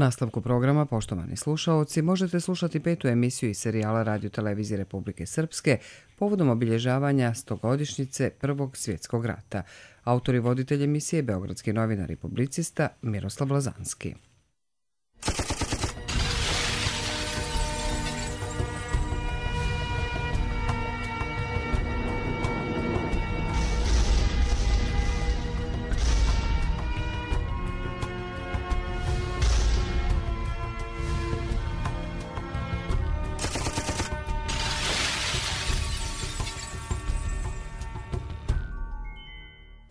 Nastavku programa, poštovani slušaoci, možete slušati 5. emisiju iz serijala Radio Televizije Republike Srpske povodom obilježavanja 100-godišnjice Prvog svjetskog rata. Autor i voditelj emisije je beogradski novinar i publicista Miroslav Lazanski.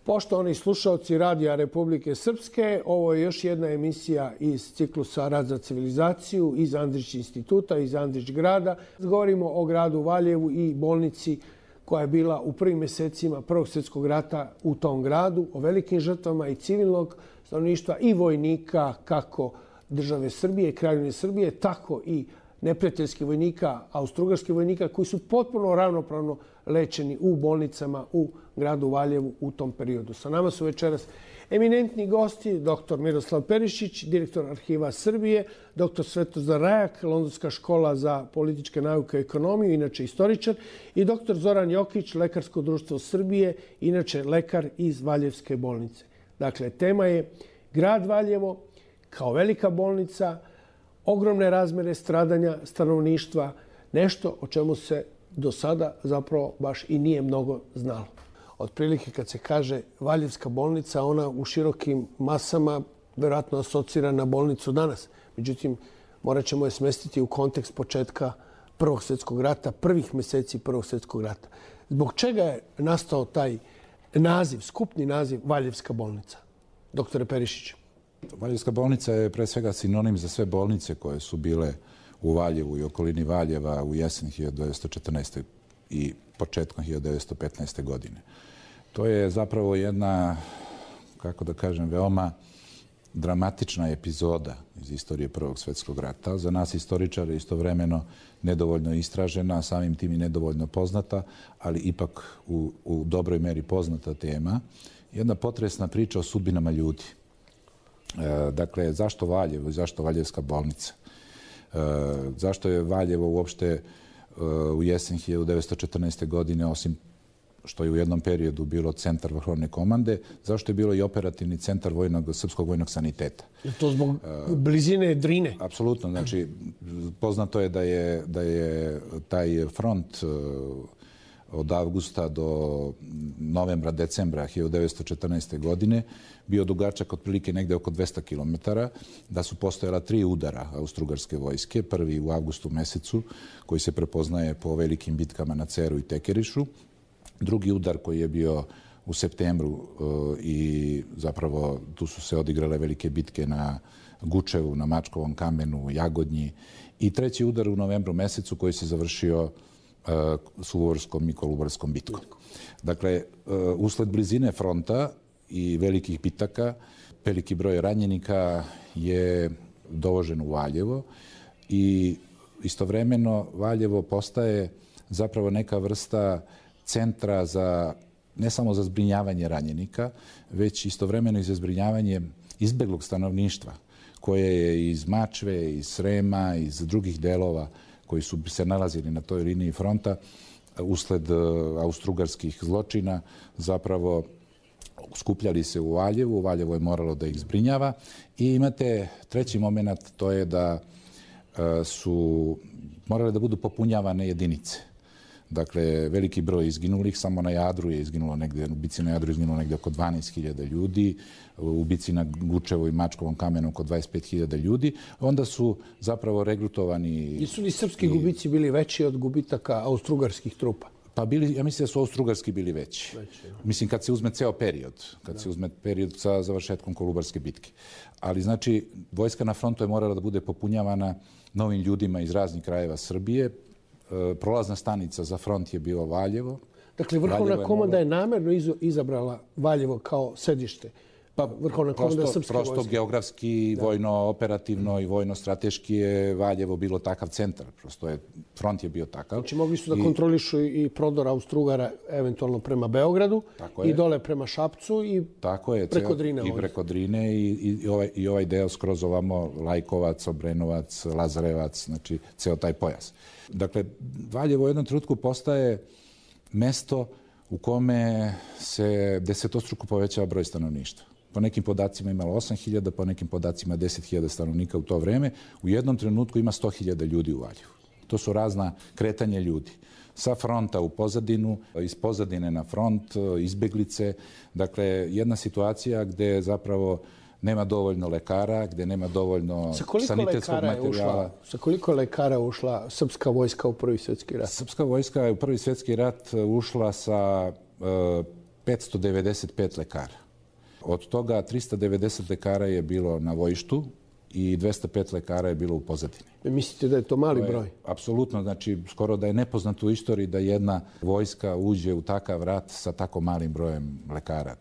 Poštovani slušalci Radija Republike Srpske, ovo je još jedna emisija iz ciklusa Rad za civilizaciju iz Andrić instituta, iz Andrić grada. Govorimo o gradu Valjevu i bolnici koja je bila u prvim mjesecima Prvog svjetskog rata u tom gradu, o velikim žrtvama i civilnog stanovništva i vojnika kako države Srbije, Kraljevine Srbije, tako i neprijateljskih vojnika, austrougarskih vojnika koji su potpuno ravnopravno lečeni u bolnicama u gradu Valjevu u tom periodu. Sa nama su večeras eminentni gosti, dr. Miroslav Perišić, direktor Arhiva Srbije, dr. Svetozar Rajak, Londonska škola za političke nauke i ekonomiju, inače istoričar, i dr. Zoran Jokić, Lekarsko društvo Srbije, inače lekar iz Valjevske bolnice. Dakle, tema je grad Valjevo kao velika bolnica, ogromne razmere stradanja stanovništva, nešto o čemu se do sada zapravo baš i nije mnogo znalo. Otprilike kad se kaže Valjevska bolnica, ona u širokim masama vjerojatno asocira na bolnicu danas. Međutim, morat ćemo je smestiti u kontekst početka Prvog svjetskog rata, prvih mjeseci Prvog svjetskog rata. Zbog čega je nastao taj naziv, skupni naziv Valjevska bolnica? Doktore Perišić. Valjevska bolnica je pre svega sinonim za sve bolnice koje su bile u Valjevu i okolini Valjeva u jesen 1914. i početkom 1915. godine. To je zapravo jedna, kako da kažem, veoma dramatična epizoda iz istorije Prvog svjetskog rata. Za nas istoričare istovremeno nedovoljno istražena, samim tim i nedovoljno poznata, ali ipak u dobroj meri poznata tema. Jedna potresna priča o sudbinama ljudi. Dakle, zašto Valjevo i zašto Valjevska bolnica? Zašto je Valjevo uopšte u jesen 1914. godine, osim što je u jednom periodu bilo centar vrhovne komande, zašto je bilo i operativni centar srpskog vojnog saniteta? To zbog blizine Drine? Apsolutno. Znači, poznato je da je taj front od avgusta do novembra, decembra 1914. godine bio dugačak otprilike negde oko 200 km, da su postojala 3 udara austrougarske vojske. Prvi u avgustu mesecu, koji se prepoznaje po velikim bitkama na Ceru i Tekerišu. Drugi udar koji je bio u septembru i zapravo tu su se odigrale velike bitke na Gučevu, na Mačkovom kamenu, Jagodnji. I treći udar u novembru mesecu koji se završio Suvorskom i Kolubarskom bitkom. Dakle, usled blizine fronta i velikih bitaka, veliki broj ranjenika je dovožen u Valjevo i istovremeno Valjevo postaje zapravo neka vrsta centra za, ne samo za zbrinjavanje ranjenika, već istovremeno i za zbrinjavanje izbeglog stanovništva koje je iz Mačve, iz Srema, iz drugih delova koji su se nalazili na toj liniji fronta usled austrougarskih zločina, zapravo skupljali se u Valjevu. Valjevo je moralo da ih zbrinjava. I imate treći moment, to je da su morale da budu popunjavane jedinice. Dakle, veliki broj izginulih, samo na Jadru je izginulo negde, u bici na Jadru je izginulo negde oko 12.000 ljudi, u bici na Gučevu i Mačkovom kamenu oko 25.000 ljudi. Onda su zapravo regrutovani... Nisu li srpski gubici bili veći od gubitaka austrougarskih trupa? Pa bili, ja mislim da su austrougarski bili veći. Mislim, kad se uzme ceo period, se uzme period sa završetkom Kolubarske bitke. Ali, znači, vojska na frontu je morala da bude popunjavana novim ljudima iz raznih krajeva Srbije. Prolazna stanica za front je bilo Valjevo. Dakle, vrhovna komanda je namerno izabrala Valjevo kao sedište Vrhovna komanda srpske vojske. Prosto geografski, vojno-operativno i vojno-strateški je Valjevo bilo takav centar. Prosto je, front je bio takav. Znači mogli su da kontrolišu i prodor Austro-Ugara eventualno prema Beogradu i dole prema Šapcu i preko Drine. I preko Drine i ovaj deo skroz ovamo Lajkovac, Obrenovac, Lazarevac, znači ceo taj pojas. Dakle, Valjevo u jednom trenutku postaje mesto u kome se desetostruko povećava broj stanovništva. Po nekim podacima imalo 8.000, po nekim podacima 10.000 stanovnika u to vreme. U jednom trenutku ima 100.000 ljudi u Valjevu. To su razna kretanja ljudi. Sa fronta u pozadinu, iz pozadine na front, izbeglice. Dakle, jedna situacija gde zapravo nema dovoljno lekara, gde nema dovoljno sanitetskog materijala. Sa koliko lekara je ušla srpska vojska u Prvi svjetski rat? Srpska vojska je u Prvi svjetski rat ušla sa 595 lekara. Od toga 390 lekara je bilo na bojištu i 205 lekara je bilo u pozadini. Mislite da je to mali broj? Apsolutno, znači skoro da je nepoznato u istoriji da jedna vojska uđe u takav rat sa tako malim brojem lekara.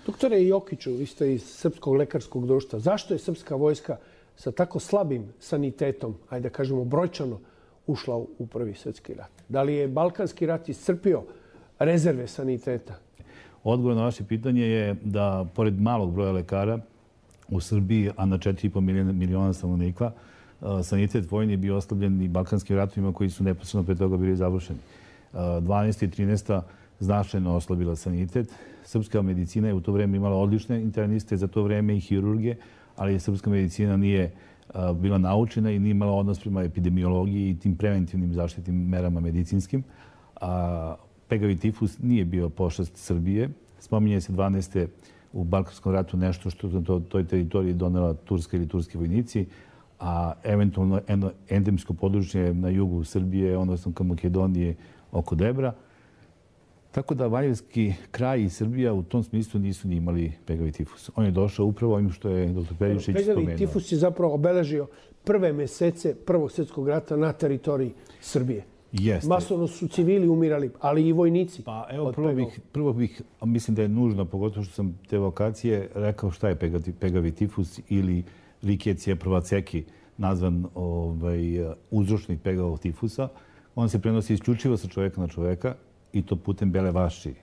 Doktore Jokiću, vi ste iz Srpskog lekarskog društva. Zašto je srpska vojska sa tako slabim sanitetom, ajde da kažemo brojčano, ušla u Prvi svjetski rat? Da li je Balkanski rat iscrpio rezerve saniteta? Odgovor na vaše pitanje je da, pored malog broja lekara u Srbiji, a na 4,5 miliona stanovnika, sanitet vojni je bio oslabljen i Balkanskim ratovima koji su neposredno pre toga bili završeni. 12. i 13. značajno oslabila sanitet. Srpska medicina je u to vreme imala odlične interniste, za to vreme i hirurgije, ali srpska medicina nije bila naučena i nije imala odnos prema epidemiologiji i tim preventivnim zaštitnim merama medicinskim. Pegavi tifus nije bio pošast Srbije. Spominje se 12. u Balkanskom ratu nešto što na toj teritoriji donela Turska ili turski vojnici, a eventualno endemsko područje na jugu Srbije, odnosno ka Makedonije oko Debra. Tako da Valjevski kraj i Srbija u tom smislu nisu ni imali pegavi tifus. On je došao upravo ovim što je dr. Perišić spomenuo. Pegavi tifus je zapravo obeležio prve mesece Prvog svjetskog rata na teritoriji Srbije. Jeste. Masovno su civili umirali, ali i vojnici. Pa evo, prvo bih, mislim da je nužno, pogotovo što sam te vokacije, rekao šta je pegavi tifus ili Rickettsia prvaceki, nazvan uzročnik pegavog tifusa. On se prenosi isključivo sa čoveka na čoveka i to putem bele vaši.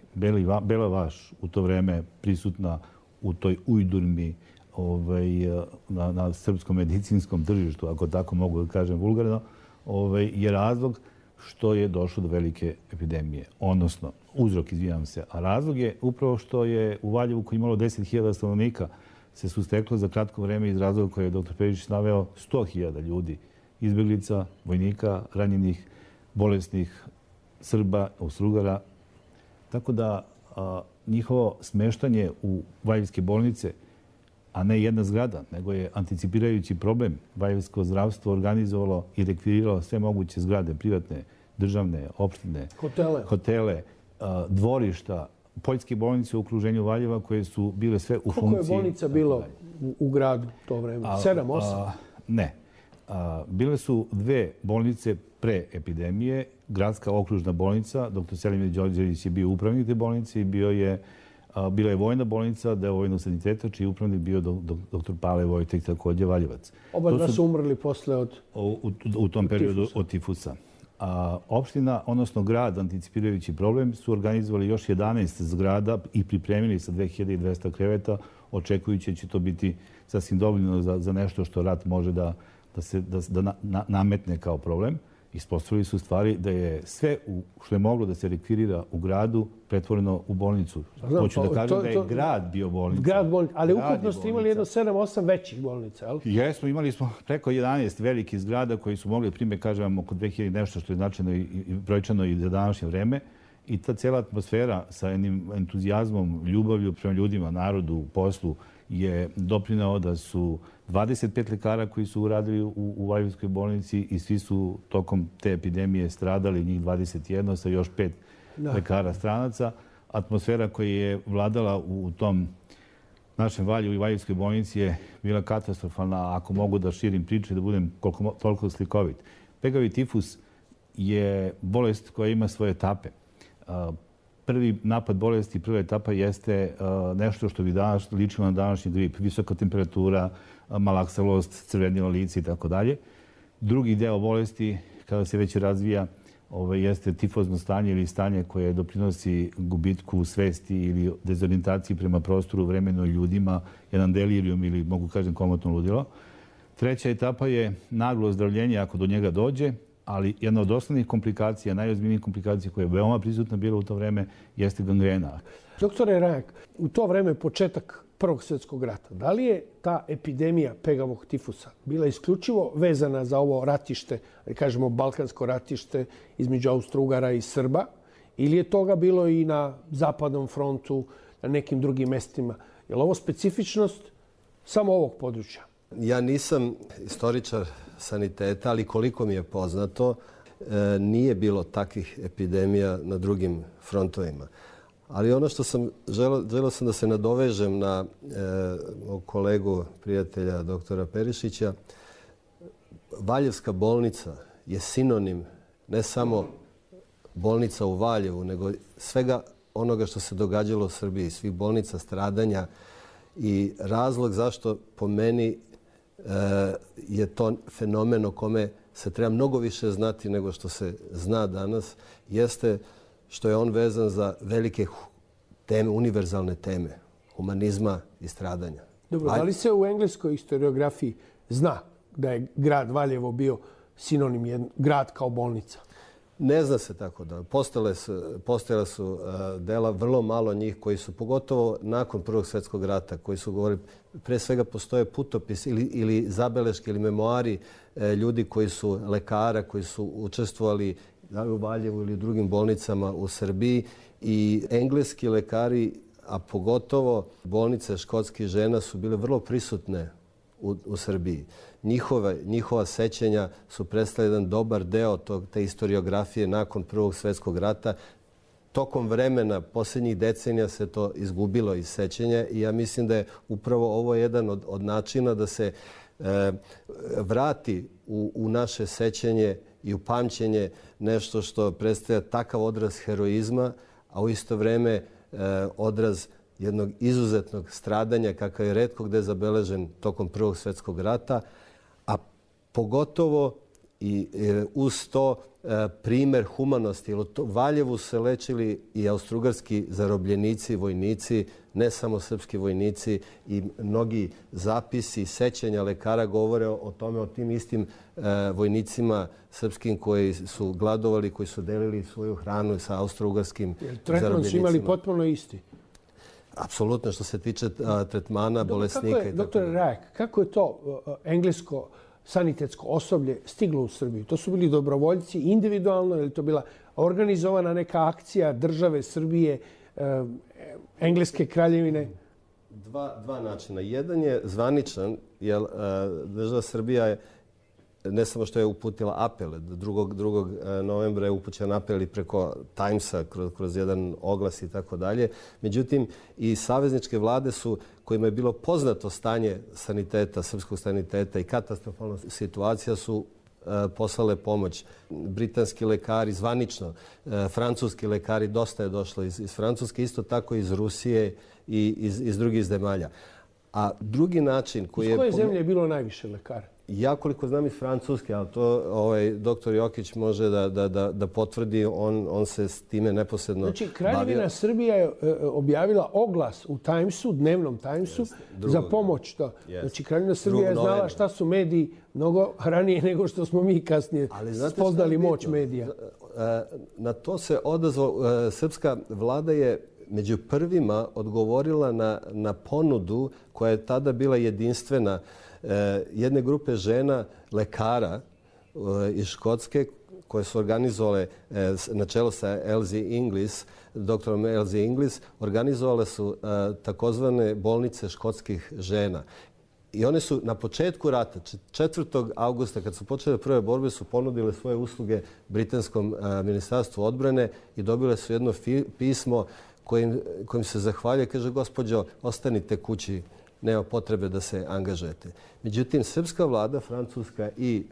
Bela vaš u to vreme prisutna u toj ujdurmi na srpskom medicinskom tržištu, ako tako mogu da kažem vulgarno, je razlog što je došlo do velike epidemije. Odnosno, uzrok, izvinjam se, a razlog je upravo što je u Valjevu koji imalo 10.000 stanovnika se susteklo za kratko vreme iz razloga koje je dr. Perišić naveo 100.000 ljudi, izbeglica, vojnika, ranjenih, bolesnih, Srba, Austro-Ugara. Tako da njihovo smeštanje u valjevske bolnice, a ne jedna zgrada, nego je anticipirajući problem. Valjevsko zdravstvo organizovalo i rekviriralo sve moguće zgrade, privatne, državne, opštine, hotele, dvorišta, poljske bolnice u okruženju Valjeva koje su bile sve u funkciji... Koliko je bolnica bilo u gradu to vreme? 7, 8? Ne. Bile su 2 bolnice pre epidemije. Gradska okružna bolnica, dr. Selimir Đorđević je bio upravnik te bolnice i bila je vojna bolnica, deo vojnog saniteta, čiji upravnik bio dr. Pale Vojtek, također Valjevac. Oba su umrli posle u tom periodu od tifusa. Opština, odnosno grad, anticipirajući problem, su organizovali još 11 zgrada i pripremili sa 2200 kreveta, očekujući da će to biti sasvim dovoljno za nešto što rat može da nametne kao problem. Ispostavili su stvari da je sve što je moglo da se rekvirira u gradu pretvoreno u bolnicu. Hoću da kažem da je grad bio bolnica. Grad bolnica, ali ukupno ste imali jedno 7-8 većih bolnica, ali? Jesmo, imali smo preko 11 velikih zgrada koji su mogli, primjer, kažem, oko 2000 nešto što je značajno i brojčano i za današnje vreme. I ta cijela atmosfera sa jednim entuzijazmom, ljubavlju prema ljudima, narodu, poslu je doprinao da su 25 lekara koji su uradili u Valjevskoj bolnici i svi su tokom te epidemije stradali, njih 21 sa još 5 lekara stranaca. Atmosfera koja je vladala u tom našem Valjevu i Valjevskoj bolnici je bila katastrofalna, ako mogu da širim priče, da budem toliko slikovit. Pegavi tifus je bolest koja ima svoje etape. prvi napad bolesti, prva etapa jeste nešto što bi danas ličilo na današnji grip. Visoka temperatura, malaksalost, crvenilo lice i tako dalje. Drugi deo bolesti, kada se već razvija, jeste tifozno stanje ili stanje koje doprinosi gubitku svesti ili dezorijentaciji prema prostoru, vremenu i ljudima, jedan delirijum ili, mogu kažem, komotno ludilo. Treća etapa je naglo ozdravljenje ako do njega dođe, ali jedna od osnovnih komplikacija, najozbiljnijih komplikacija koja je veoma prisutna bila u to vreme, jeste gangrena. Doktore Rajak, u to vreme početak Prvog svjetskog rata, da li je ta epidemija pegavog tifusa bila isključivo vezana za ovo ratište, da kažemo balkansko ratište između Austro-Ugara i Srba, ili je toga bilo i na zapadnom frontu, na nekim drugim mestima? Je li ovo specifičnost samo ovog područja? Ja nisam istoričar saniteta, ali koliko mi je poznato, nije bilo takvih epidemija na drugim frontovima. Ali ono što sam želeo sam da se nadovežem na kolegu, prijatelja doktora Perišića. Valjevska bolnica je sinonim ne samo bolnica u Valjevu, nego svega onoga što se događalo u Srbiji, svih bolnica, stradanja. I razlog zašto po meni je to fenomen o kome se treba mnogo više znati nego što se zna danas, jeste što je on vezan za velike teme, univerzalne teme, humanizma i stradanja. Dobro, da li se u engleskoj historiografiji zna da je grad Valjevo bio sinonim grad kao bolnica? Ne zna se tako da. Postojala su dela, vrlo malo njih koji su, pogotovo nakon Prvog svjetskog rata, koji su govorili, pre svega postoje putopis ili zabeleške ili memoari ljudi koji su lekara, koji su učestvovali u Valjevu ili u drugim bolnicama u Srbiji, i engleski lekari, a pogotovo bolnice škotskih žena su bile vrlo prisutne u Srbiji. Njihova sećanja su predstavili jedan dobar deo te historiografije nakon Prvog svjetskog rata. Tokom vremena, posljednjih decenija, se to izgubilo iz sećanja i ja mislim da je upravo ovo jedan od načina da se vrati u naše sećanje i u pamćenje nešto što predstavlja takav odraz heroizma, a u isto vreme odraz jednog izuzetnog stradanja kakav je retko gde zabeležen tokom Prvog svjetskog rata, a pogotovo i uz to primer humanosti. U Valjevu se lečili i austrougarski zarobljenici, vojnici, ne samo srpski vojnici, i mnogi zapisi i sećanja lekara govore o tome, o tim istim vojnicima srpskim koji su gladovali, koji su delili svoju hranu sa austrougarskim zarobljenicima. Tretman su imali potpuno isti? Apsolutno, što se tiče tretmana bolesnika. Doktore Rajak, kako je to englesko sanitetsko osoblje stiglo u Srbiju? To su bili dobrovoljci individualno ili to bila organizovana neka akcija države Srbije, Engleske kraljevine? Dva načina. Jedan je zvaničan, jer država Srbija je ne samo što je uputila apele, 2. novembra je upućen apel i preko Timesa kroz jedan oglas i tako dalje. Međutim, i savezničke vlade su, kojima je bilo poznato stanje saniteta, srpskog saniteta i katastrofalna situacija, su poslale pomoć. Britanski lekari zvanično, francuski lekari, dosta je došlo iz Francuske, isto tako iz Rusije i iz drugih zemalja. A drugi način koji je... Iz koje zemlje je bilo najviše lekara? Ja koliko znam iz Francuske, ali to doktor Jokić može da potvrdi, on se s time neposredno bavio. Znači, Kraljevina Srbija je objavila oglas u Timesu, dnevnom Timesu, za pomoć. Znači, Kraljevina Srbija je znala šta su mediji mnogo ranije nego što smo mi kasnije spoznali moć medija. Na to se odazvao, srpska vlada je među prvima odgovorila na ponudu koja je tada bila jedinstvena jedne grupe žena, lekara iz Škotske, koje su organizovale na čelu sa Elsie Inglis, doktorom Elsie Inglis, organizovale su takozvane bolnice škotskih žena. I one su na početku rata, 4. augusta, kad su počele prve borbe, su ponudile svoje usluge Britanskom ministarstvu odbrane i dobile su jedno pismo kojim se zahvaljuje. Kaže, gospođo, ostanite kući, nema potrebe da se angažujete. Međutim, srpska vlada, francuska i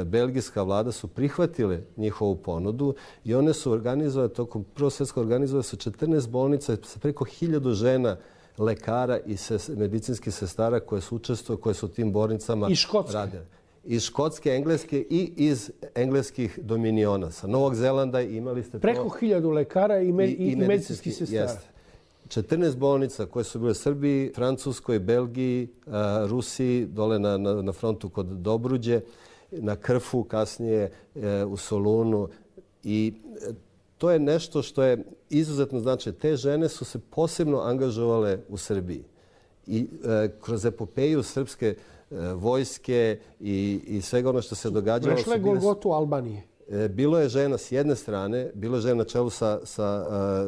belgijska vlada su prihvatile njihovu ponudu i one su organizovale, tokom Prvog svjetskog organizovale su 14 bolnica sa preko 1000 žena, lekara i medicinskih sestara koje su učestvovali, koje su u tim bolnicama radile. Iz Škotske, Engleske i iz engleskih dominiona. Sa Novog Zelanda imali ste to... Preko 1000 lekara i medicinskih sestara. Jeste. 14 bolnica koje su bile u Srbiji, Francuskoj, Belgiji, Rusiji, dole na frontu kod Dobruđe, na Krfu, kasnije u Solunu. I to je nešto što je izuzetno značajno. Te žene su se posebno angažovale u Srbiji. I kroz epopeju srpske vojske i svega ono što se događalo... Prešle Golgotu Albanije. Bilo je žena s jedne strane, bilo je žena na čelu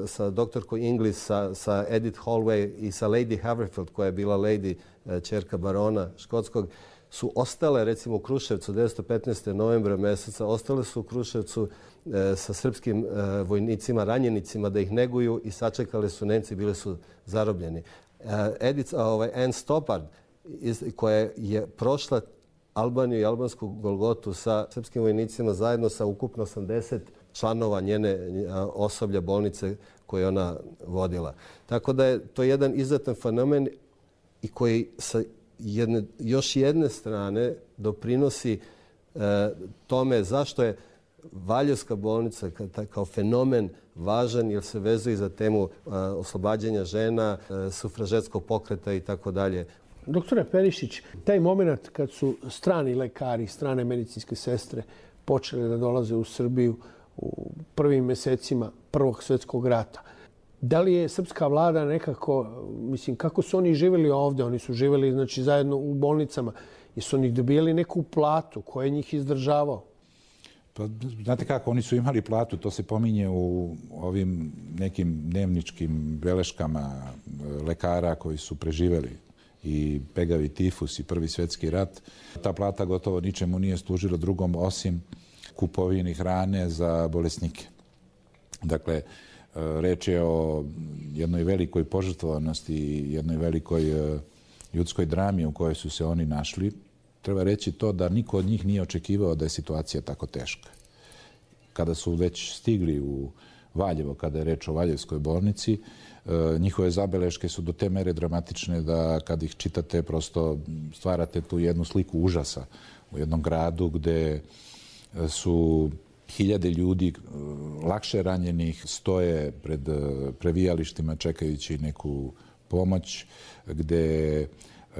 sa doktorkom Inglis, sa Edith Holloway i sa Lady Haverfield, koja je bila lady, ćerka barona škotskog, su ostale, recimo u Kruševcu, 1915. novembra meseca, ostale su u Kruševcu sa srpskim vojnicima, ranjenicima, da ih neguju i sačekali su Nemci, bili su zarobljeni. Anne Stoppard, koja je prošla Albaniju i albansku Golgotu sa srpskim vojnicima zajedno sa ukupno 80 članova njene osoblja bolnice koje ona vodila. Tako da je to jedan izuzetan fenomen i koji sa još jedne strane doprinosi tome zašto je Valjevska bolnica kao fenomen važan, jer se vezuje za temu oslobađanja žena, sufražetskog pokreta i tako dalje. Doktore Perišić, taj moment kad su strani lekari, strane medicinske sestre počele da dolaze u Srbiju u prvim mesecima Prvog svjetskog rata, da li je srpska vlada nekako, mislim, kako su oni živjeli ovdje? Oni su živjeli, znači, zajedno u bolnicama. Jesu oni dobijali neku platu? Ko je njih izdržavao? Pa, znate kako, oni su imali platu, to se pominje u ovim nekim dnevničkim beleškama lekara koji su preživjeli i pegavi tifus i Prvi svjetski rat. Ta plata gotovo ničemu nije služila drugom osim kupovini hrane za bolesnike. Dakle, reč je o jednoj velikoj požrtvovanosti i jednoj velikoj ljudskoj drami u kojoj su se oni našli. Treba reći to da niko od njih nije očekivao da je situacija tako teška. Kada su već stigli u Valjevo, kada je reč o Valjevskoj bolnici, njihove zabeleške su do te mere dramatične da kad ih čitate prosto stvarate tu jednu sliku užasa u jednom gradu gde su hiljade ljudi lakše ranjenih stoje pred previjalištima čekajući neku pomoć, gde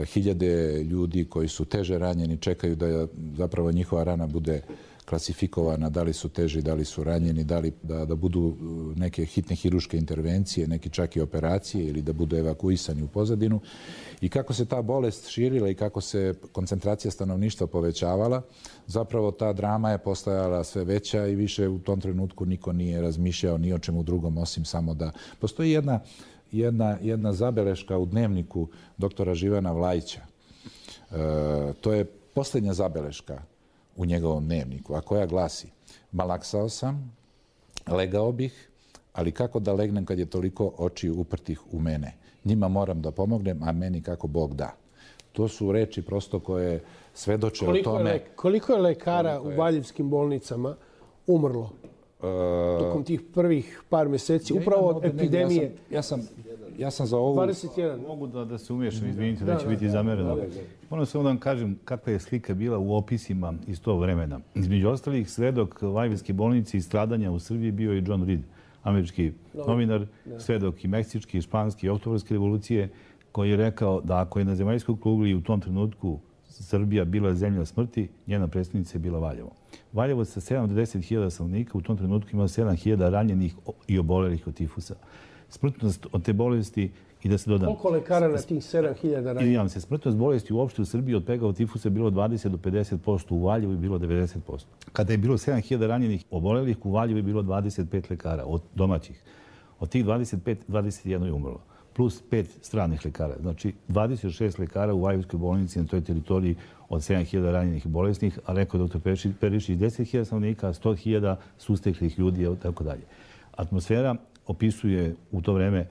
hiljade ljudi koji su teže ranjeni čekaju da zapravo njihova rana bude klasifikovana, da li su teži, da li su ranjeni, da li da budu neke hitne hiruške intervencije, neki čak i operacije ili da budu evakuisani u pozadinu. I kako se ta bolest širila i kako se koncentracija stanovništva povećavala, zapravo ta drama je postajala sve veća i više u tom trenutku niko nije razmišljao ni o čemu drugom osim samo da... Postoji jedna zabeleška u dnevniku doktora Živana Vlajića. To je posljednja zabeleška u njegovom dnevniku, a koja glasi: malaksao sam, legao bih, ali kako da legnem kad je toliko očiju uprtih u mene? Njima moram da pomognem, a meni kako Bog da. To su reči prosto koje svedoče o tome... Koliko je lekara u valjevskim bolnicama umrlo tokom tih prvih par mjeseci, upravo od epidemije? Ja sam za ovu... 21. Mogu da se umiješam, izvinite, da će biti zamereno. Moram samo da vam kažem kakva je slika bila u opisima iz tog vremena. Između ostalih, svedok Valjevske bolnice i stradanja u Srbiji bio i John Reed, američki novinar, svedok i meksički, i španski, i oktobarske revolucije, koji je rekao da ako je na zemaljskoj kugli u tom trenutku Srbija bila zemlja smrti, njena predstavnica je bila Valjevo. Valjevo sa 7 do 10.000 stanovnika u tom trenutku ima 7.000 ranjenih i obolelih od tifusa. Smrtnost od te bolesti, i da se dodam... Koliko lekara na tih 7.000 ranjenih? Izvinjavam se, smrtnost bolesti uopšte u Srbiji od pegavog tifusa je bilo 20 do 50%, u Valjevu je bilo 90%. Kada je bilo 7.000 ranjenih obolelih, u Valjevu je bilo 25 lekara od domaćih. Od tih 25, 21 je umrlo. Plus 5 stranih lekara. Znači, 26 lekara u Valjevskoj bolnici na toj teritoriji od 7.000 ranjenih i bolesnih, a rekao je dr. Perišić 10.000 stanovnika, 100.000 susteklih ljudi i tako dalje. Atmosfera opisuje u to vreme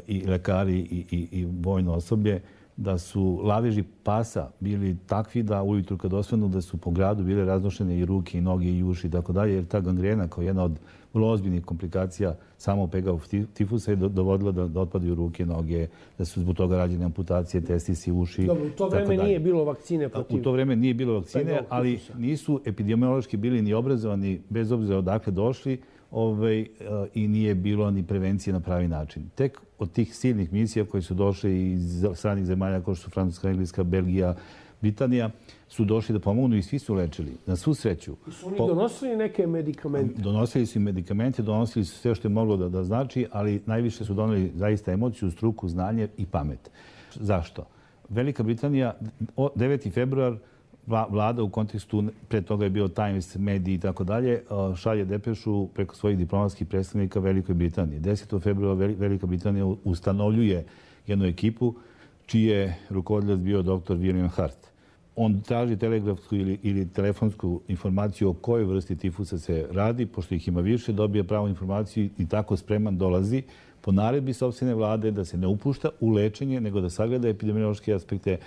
i lekari i vojno osoblje da su laveži pasa bili takvi da ujutru kad osvanu da su po gradu bile raznošene i ruke i noge i uši i tako dalje, jer ta gangrena kao jedna od vrlo ozbiljnih komplikacija samog pegavog tifusa je dovodila da otpadaju ruke, noge, da su zbog toga rađene amputacije, testisi, uši. Dobro, u to vreme nije bilo vakcine protiv... U to vreme nije bilo vakcine, ali nisu epidemiološki bili ni obrazovani, bez obzira odakle došli, i nije bilo ni prevencije na pravi način. Tek od tih silnih misija koje su došle iz stranih zemalja kao što su Francuska, Engleska, Belgija, Britanija, su došli da pomognu i svi su lečili. Na svu sreću. Su oni donosili neke medikamente? Donosili su i medikamente, donosili su sve što je moglo da znači, ali najviše su doneli zaista emociju, struku, znanje i pamet. Zašto? Velika Britanija, 9. februar, vlada u kontekstu, pre toga je bio Times, mediji i tako dalje, šalje depešu preko svojih diplomatskih predstavnika Velikoj Britaniji. 10. februara Velika Britanija ustanovljuje jednu ekipu čiji je rukovodilac bio dr. William Hart. On traži telegrafsku ili telefonsku informaciju o kojoj vrsti tifusa se radi, pošto ih ima više, dobije pravu informaciju i tako spreman dolazi po naredbi sopstvene vlade da se ne upušta u lečenje, nego da sagleda epidemiološke aspekte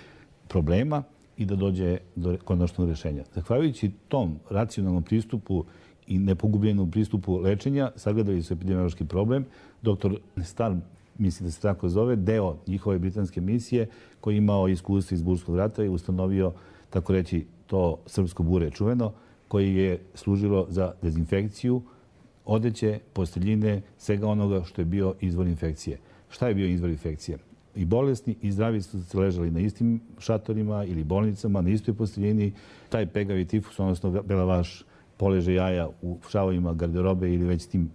problema i da dođe do konačnog rješenja. Zahvaljujući tom racionalnom pristupu i nepogubljenom pristupu lečenja, sagledali su epidemiološki problem. Dr. Starr, mislim da se tako zove, deo njihove britanske misije, koji je imao iskustvo iz Burskog rata i ustanovio, tako reći, to srpsko bure čuveno, koji je služilo za dezinfekciju odeće, posteljine, svega onoga što je bio izvor infekcije. Šta je bio izvor infekcije? I bolesni i zdravi su se ležali na istim šatorima ili bolnicama, na istoj posteljini. Taj pegavi tifus, odnosno belavaš, poleže jaja u šavovima garderobe ili već tim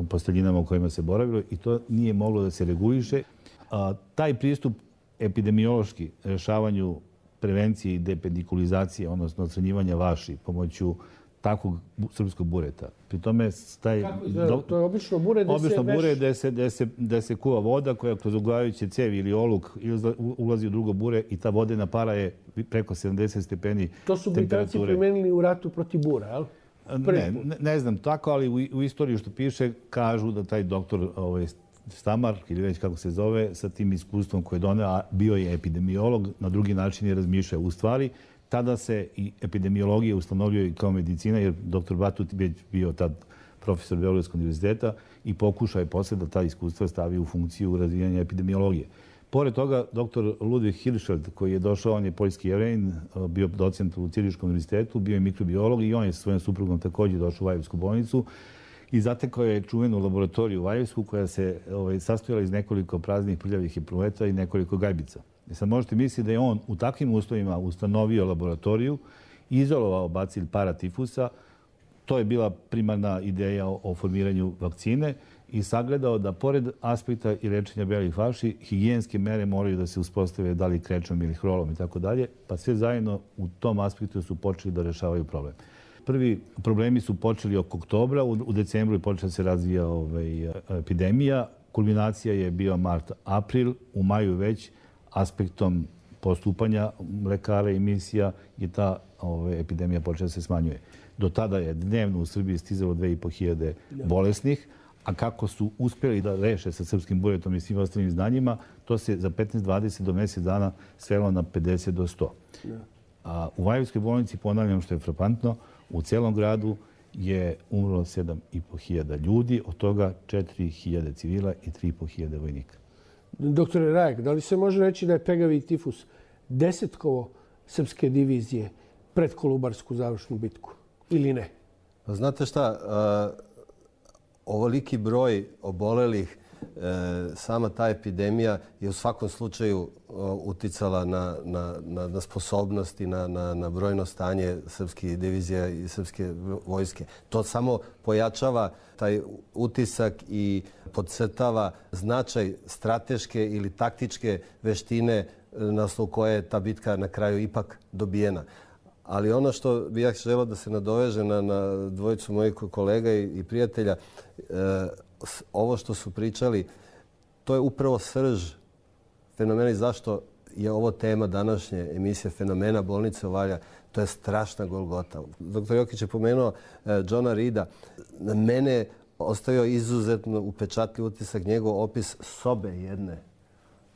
posteljinama u kojima se boravilo i to nije moglo da se reguliše. Taj pristup epidemiološki rešavanju prevencije i depedikulizacije, odnosno odstranjivanja vaši pomoću takvog srpskog bureta. Pri tome taj... To je obično bure gde se kuva voda koja kroz uglajuće cevi ili oluk ulazi u drugo bure i ta vodena para je preko 70 stepeni temperature. To su Britanci primenili u ratu protiv bura, jel? Ne znam tako, ali u istoriji što piše kažu da taj doktor Stamar, ili već kako se zove, sa tim iskustvom koje je doneo, a bio je epidemiolog, na drugi način je razmišljao. U stvari, tada se i epidemiologija ustanovljuje kao medicina, jer dr. Batut je bio tad profesor Beogradskog univerziteta i pokušao je posle da ta iskustva stavi u funkciju razvijanja epidemiologije. Pored toga, dr. Ludwig Hirschfeld, koji je došao, on je poljski Jevrejin, bio docent u Ciriškom univerzitetu, bio je mikrobiolog i on je sa svojom suprugom također došao u Valjevsku bolnicu i zatekao je čuvenu laboratoriju u Valjevsku koja se sastojala iz nekoliko praznih prljavih epruveta i nekoliko gajbica. Sad možete misliti da je on u takvim uslovima ustanovio laboratoriju, izolovao bacil paratifusa, to je bila primarna ideja o formiranju vakcine i sagledao da pored aspekta i lečenja belih vaši, higijenske mere moraju da se uspostave da li krečom ili hrolom i tako dalje, pa sve zajedno u tom aspektu su počeli da rešavaju problem. Prvi problemi su počeli oko oktobra, u decembru je počela se razvija epidemija, kulminacija je bio mart-april, u maju već aspektom postupanja lekara i misija je ta epidemija počela se smanjuje. Do tada je dnevno u Srbiji stizalo 2500 bolesnih, a kako su uspjeli da reše sa srpskim buretom i svim ostalim znanjima, to se za 15-20 do mjesec dana svelo na 50 do 100. A u Valjevskoj bolnici, ponavljam što je frapantno, u celom gradu je umrlo 7500 ljudi, od toga 4000 civila i 3500 vojnika. Doktore Rajak, da li se može reći da je pegavi tifus desetkovo srpske divizije pred Kolubarsku završnu bitku ili ne? Znate šta, ovoliki broj obolelih, sama ta epidemija je u svakom slučaju uticala na sposobnost i na brojno stanje srpskih divizija i srpske vojske. To samo pojačava taj utisak i podcrtava značaj strateške ili taktičke veštine na osnovu koje je ta bitka na kraju ipak dobijena. Ali ono što bih ja želeo da se nadoveže na dvojicu mojih kolega i prijatelja, ovo što su pričali, to je upravo srž fenomena i zašto je ovo tema današnje emisije Fenomena bolnice Valja. To je strašna golgota. Dr. Jokić je pomenuo Johna Reeda. Na mene ostavio izuzetno upečatljiv utisak njegov opis sobe jedne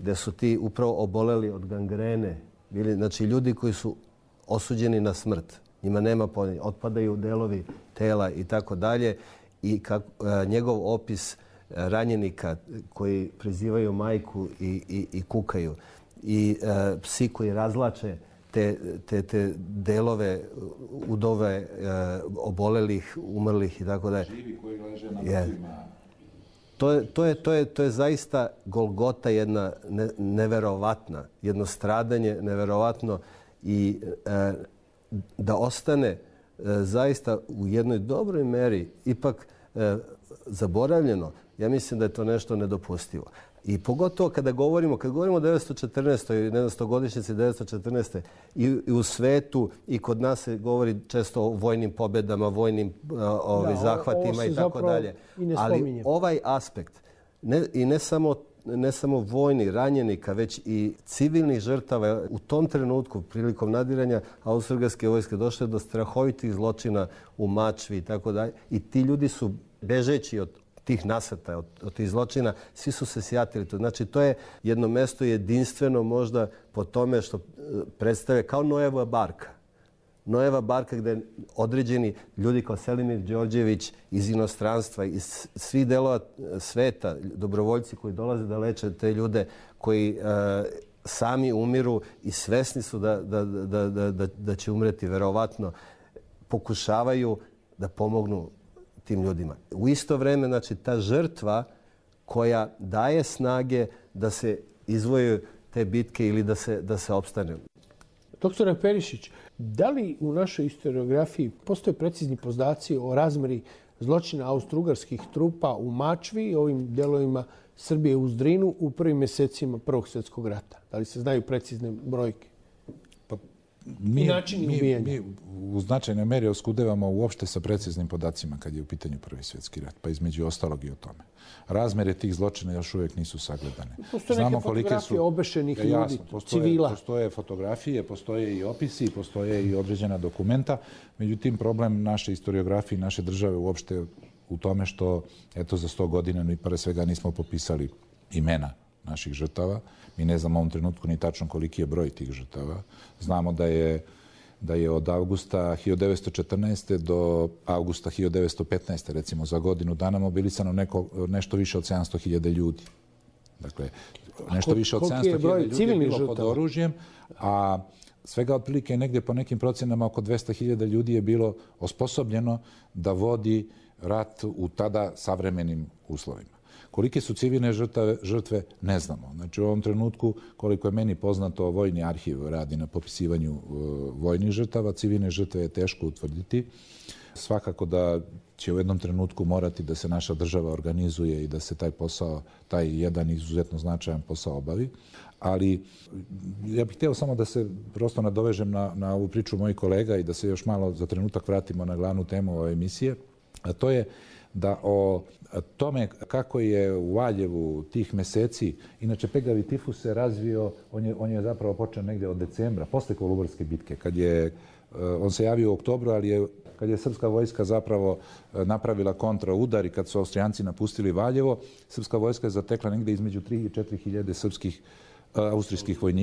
gde su ti upravo oboleli od gangrene, bili, znači ljudi koji su osuđeni na smrt, njima nema pomirenja, otpadaju delovi tela i tako dalje. I njegov opis ranjenika koji prizivaju majku i kukaju i psi koji razlače te delove udove obolelih, umrlih i tako dalje. Živi koji leže na mrtvima. To je zaista golgota jedna neverovatna, jedno stradanje neverovatno i da ostane zaista u jednoj dobroj meri ipak zaboravljeno. Ja mislim da je to nešto nedopustivo. I pogotovo kada govorimo o 914. i 100-godišnjici 914. i u svetu i kod nas se govori često o vojnim pobedama, vojnim zahvatima i tako dalje. Ali ovaj aspekt, i ne samo vojni ranjenika, već i civilnih žrtava u tom trenutku prilikom nadiranja austro-ugarske vojske došlo do strahovitih zločina u Mačvi i tako dalje. I ti ljudi su bežeći od tih nasrtaja, od tih zločina, svi su se sjatili tu. Znači, to je jedno mesto jedinstveno možda po tome što predstavlja kao Noeva barka. Noeva barka gde određeni ljudi kao Selimir Đorđević iz inostranstva, iz svih delova sveta, dobrovoljci koji dolaze da leče te ljude koji sami umiru i svesni su da će umreti verovatno, pokušavaju da pomognu tim ljudima. U isto vreme, znači, ta žrtva koja daje snage da se izvoju te bitke ili da se opstane. Doktore Perišić, da li u našoj historiografiji postoje precizni podaci o razmeri zločina austro-ugarskih trupa u Mačvi i ovim delovima Srbije u Zdrinu u prvim mesecima Prvog svjetskog rata? Da li se znaju precizne brojke? I načini ubijanja? Mi u značajnoj meri oskudevamo uopšte sa preciznim podacima kad je u pitanju Prvi svjetski rat, pa između ostalog i o tome. Razmere tih zločina još uvijek nisu sagledane. Postoje neke fotografije obešenih ljudi, civila. Postoje fotografije, postoje i opisi, postoje i određena dokumenta. Međutim, problem naše historiografije i naše države uopšte u tome što, eto, za 100 godina mi pre svega nismo popisali imena naših žrtava. Mi ne znamo u ovom trenutku ni tačno koliki je broj tih žrtava. Znamo da je od avgusta 1914. do avgusta 1915. recimo za godinu dana mobilisano nešto više od 700.000 ljudi. Dakle, nešto više od 700.000 ljudi je bilo pod oružjem, a svega otprilike negdje po nekim procenama oko 200.000 ljudi je bilo osposobljeno da vodi rat u tada savremenim uslovima. Kolike su civilne žrtve, ne znamo. Znači, u ovom trenutku, koliko je meni poznato, Vojni arhiv radi na popisivanju vojnih žrtava. Civilne žrtve je teško utvrditi. Svakako da će u jednom trenutku morati da se naša država organizuje i da se taj posao, taj jedan izuzetno značajan posao obavi. Ali ja bih htio samo da se prosto nadovežem na ovu priču mojih kolega i da se još malo za trenutak vratimo na glavnu temu ove emisije. A to je da o tome kako je u Valjevu tih meseci, inače pegavi tifus se razvio, on je zapravo počeo negdje od decembra, posle Kolubarske bitke, on se javio u oktobru, ali kad je srpska vojska zapravo napravila kontraudar i kad su Austrijanci napustili Valjevo, srpska vojska je zatekla negdje između 3 i 4 hiljade srpskih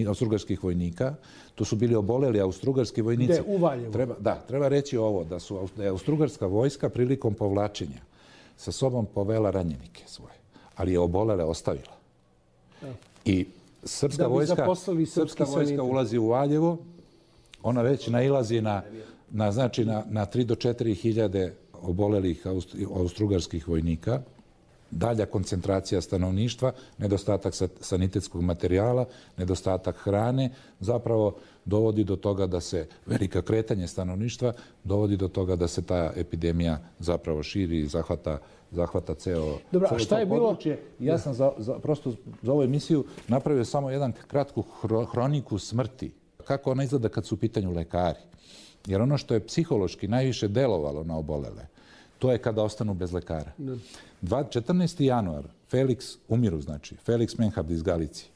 austrougarskih vojnika. To su bili oboleli austrougarski vojnici. Gde? U Valjevu? Treba reći ovo, da je austrougarska vojska prilikom povlačenja sa sobom povela ranjenike svoje, ali je obolele ostavila. I srpska vojska ulazi u Valjevo, ona već nailazi na 3 do 4 hiljade obolelih austrougarskih vojnika, dalja koncentracija stanovništva, nedostatak sanitetskog materijala, nedostatak hrane, zapravo dovodi do toga da se velika kretanje stanovništva, dovodi do toga da se ta epidemija zapravo širi i zahvata ceo područje. Ja sam prosto za ovu emisiju napravio samo jedan kratku hroniku smrti. Kako ona izgleda kad su u pitanju lekari. Jer ono što je psihološki najviše delovalo na obolele, to je kada ostanu bez lekara. 14. januar, Felix Menhard iz Galicije.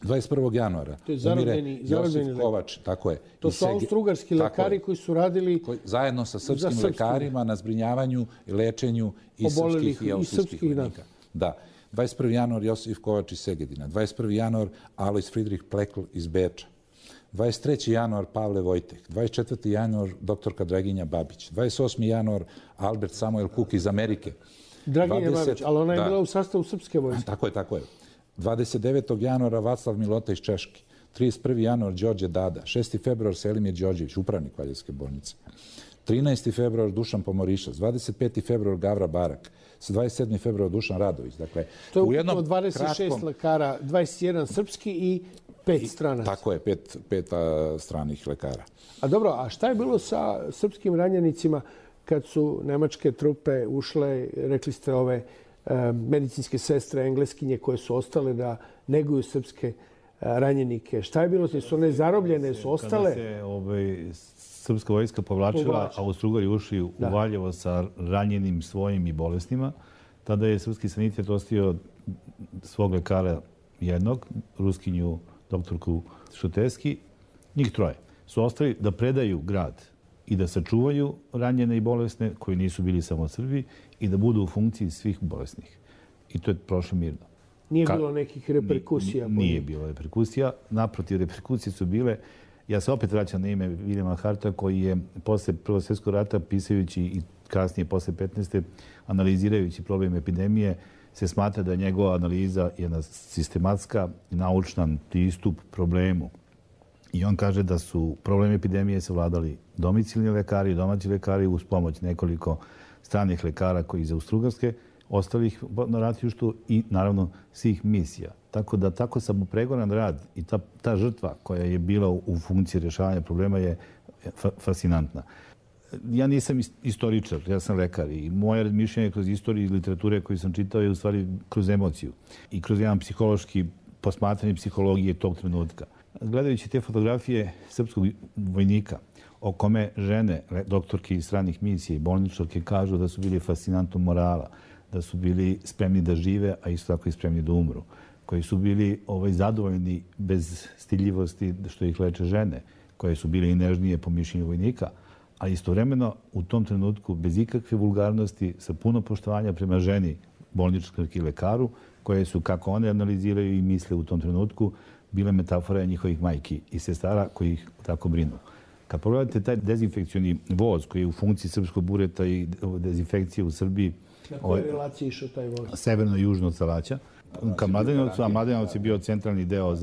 21. januara umire Josif Kovač. Tako je. To su austrougarski lekari koji su radili zajedno sa srpskim lekarima na zbrinjavanju i lečenju i srpskih i austrijskih vojnika. Da. 21. januar Josif Kovač iz Segedina, 21. januar Alois Friedrich Plekl iz Beča, 23. januar Pavle Vojtek, 24. januar doktorka Draginja Babić, 28. januar Albert Samuel Cook iz Amerike. Draginja Babić, ali ona je bila u sastavu srpske vojske. Tako je. 29. januara Vaclav Milota iz Češke, 31. januar Đorđe Dada, 6. februar Selimir Đorđević, upravnik Valjevske bolnice, 13. februar Dušan Pomorišac, 25. februar Gavra Barak, 27. februar Dušan Radović. Dakle, to je ukupno 26 lekara, 21 srpski i 5 stranaca. Tako je, pet stranih lekara. A dobro, a šta je bilo sa srpskim ranjenicima kad su nemačke trupe ušle, rekli ste ove medicinske sestre, engleskinje koje su ostale da neguju srpske ranjenike? Šta je bilo? Su one zarobljene, su ostale? Kada se srpska vojska povlačila, a Austro-Ugari ušli u Valjevo sa ranjenim svojim i bolesnima, tada je srpski sanitet ostavio svog lekara jednog, ruskinju doktorku Šuteski, njih troje. Su ostali da predaju grad i da sačuvaju ranjene i bolesne koji nisu bili samo Srbi i da budu u funkciji svih bolesnih. I to je prošlo mirno. Nije bilo nekih reperkusija? Nije bilo reperkusija. Naprotiv, reperkusije su bile. Ja se opet vraćam na ime Viljama Harta koji je posle Prvog svjetskog rata pisajući i kasnije posle 15. analizirajući problem epidemije se smatra da je njegova analiza jedna sistematska i naučan pristup problemu. I on kaže da su problem epidemije savladali domicilni lekari i domaći lekari uz pomoć nekoliko stranih lekara koji iz Austro-Ugarske, ostalih na ratištu i naravno svih misija. Tako da tako samopregoran rad i ta žrtva koja je bila u funkciji rješavanja problema je fascinantna. Ja nisam istoričar, ja sam lekar i moje razmišljanje kroz istoriju i literature koju sam čitao je u stvari kroz emociju i kroz jedan psihološki posmatranje psihologije tog trenutka. Gledajući te fotografije srpskog vojnika o kome žene, doktorke iz stranih misija i bolničarke kažu da su bili fascinantnog morala, da su bili spremni da žive, a isto tako i spremni da umru, koji su bili zadovoljni bez stiljivosti što ih leče žene, koje su bile i nežnije po mišljenju vojnika, a istovremeno u tom trenutku bez ikakve vulgarnosti, sa puno poštovanja prema ženi, bolničarki i lekaru, koje su, kako one analiziraju i misle u tom trenutku, bile metafora njihovih majki i sestara koji ih tako brinu. Kad pogledate taj dezinfekcioni voz koji je u funkciji srpskog bureta i dezinfekcije u Srbiji... Na kojoj relaciji išao taj voz? Severno i južno od Salaća. Ka Mladenovcu, a Mladenovac je bio centralni deo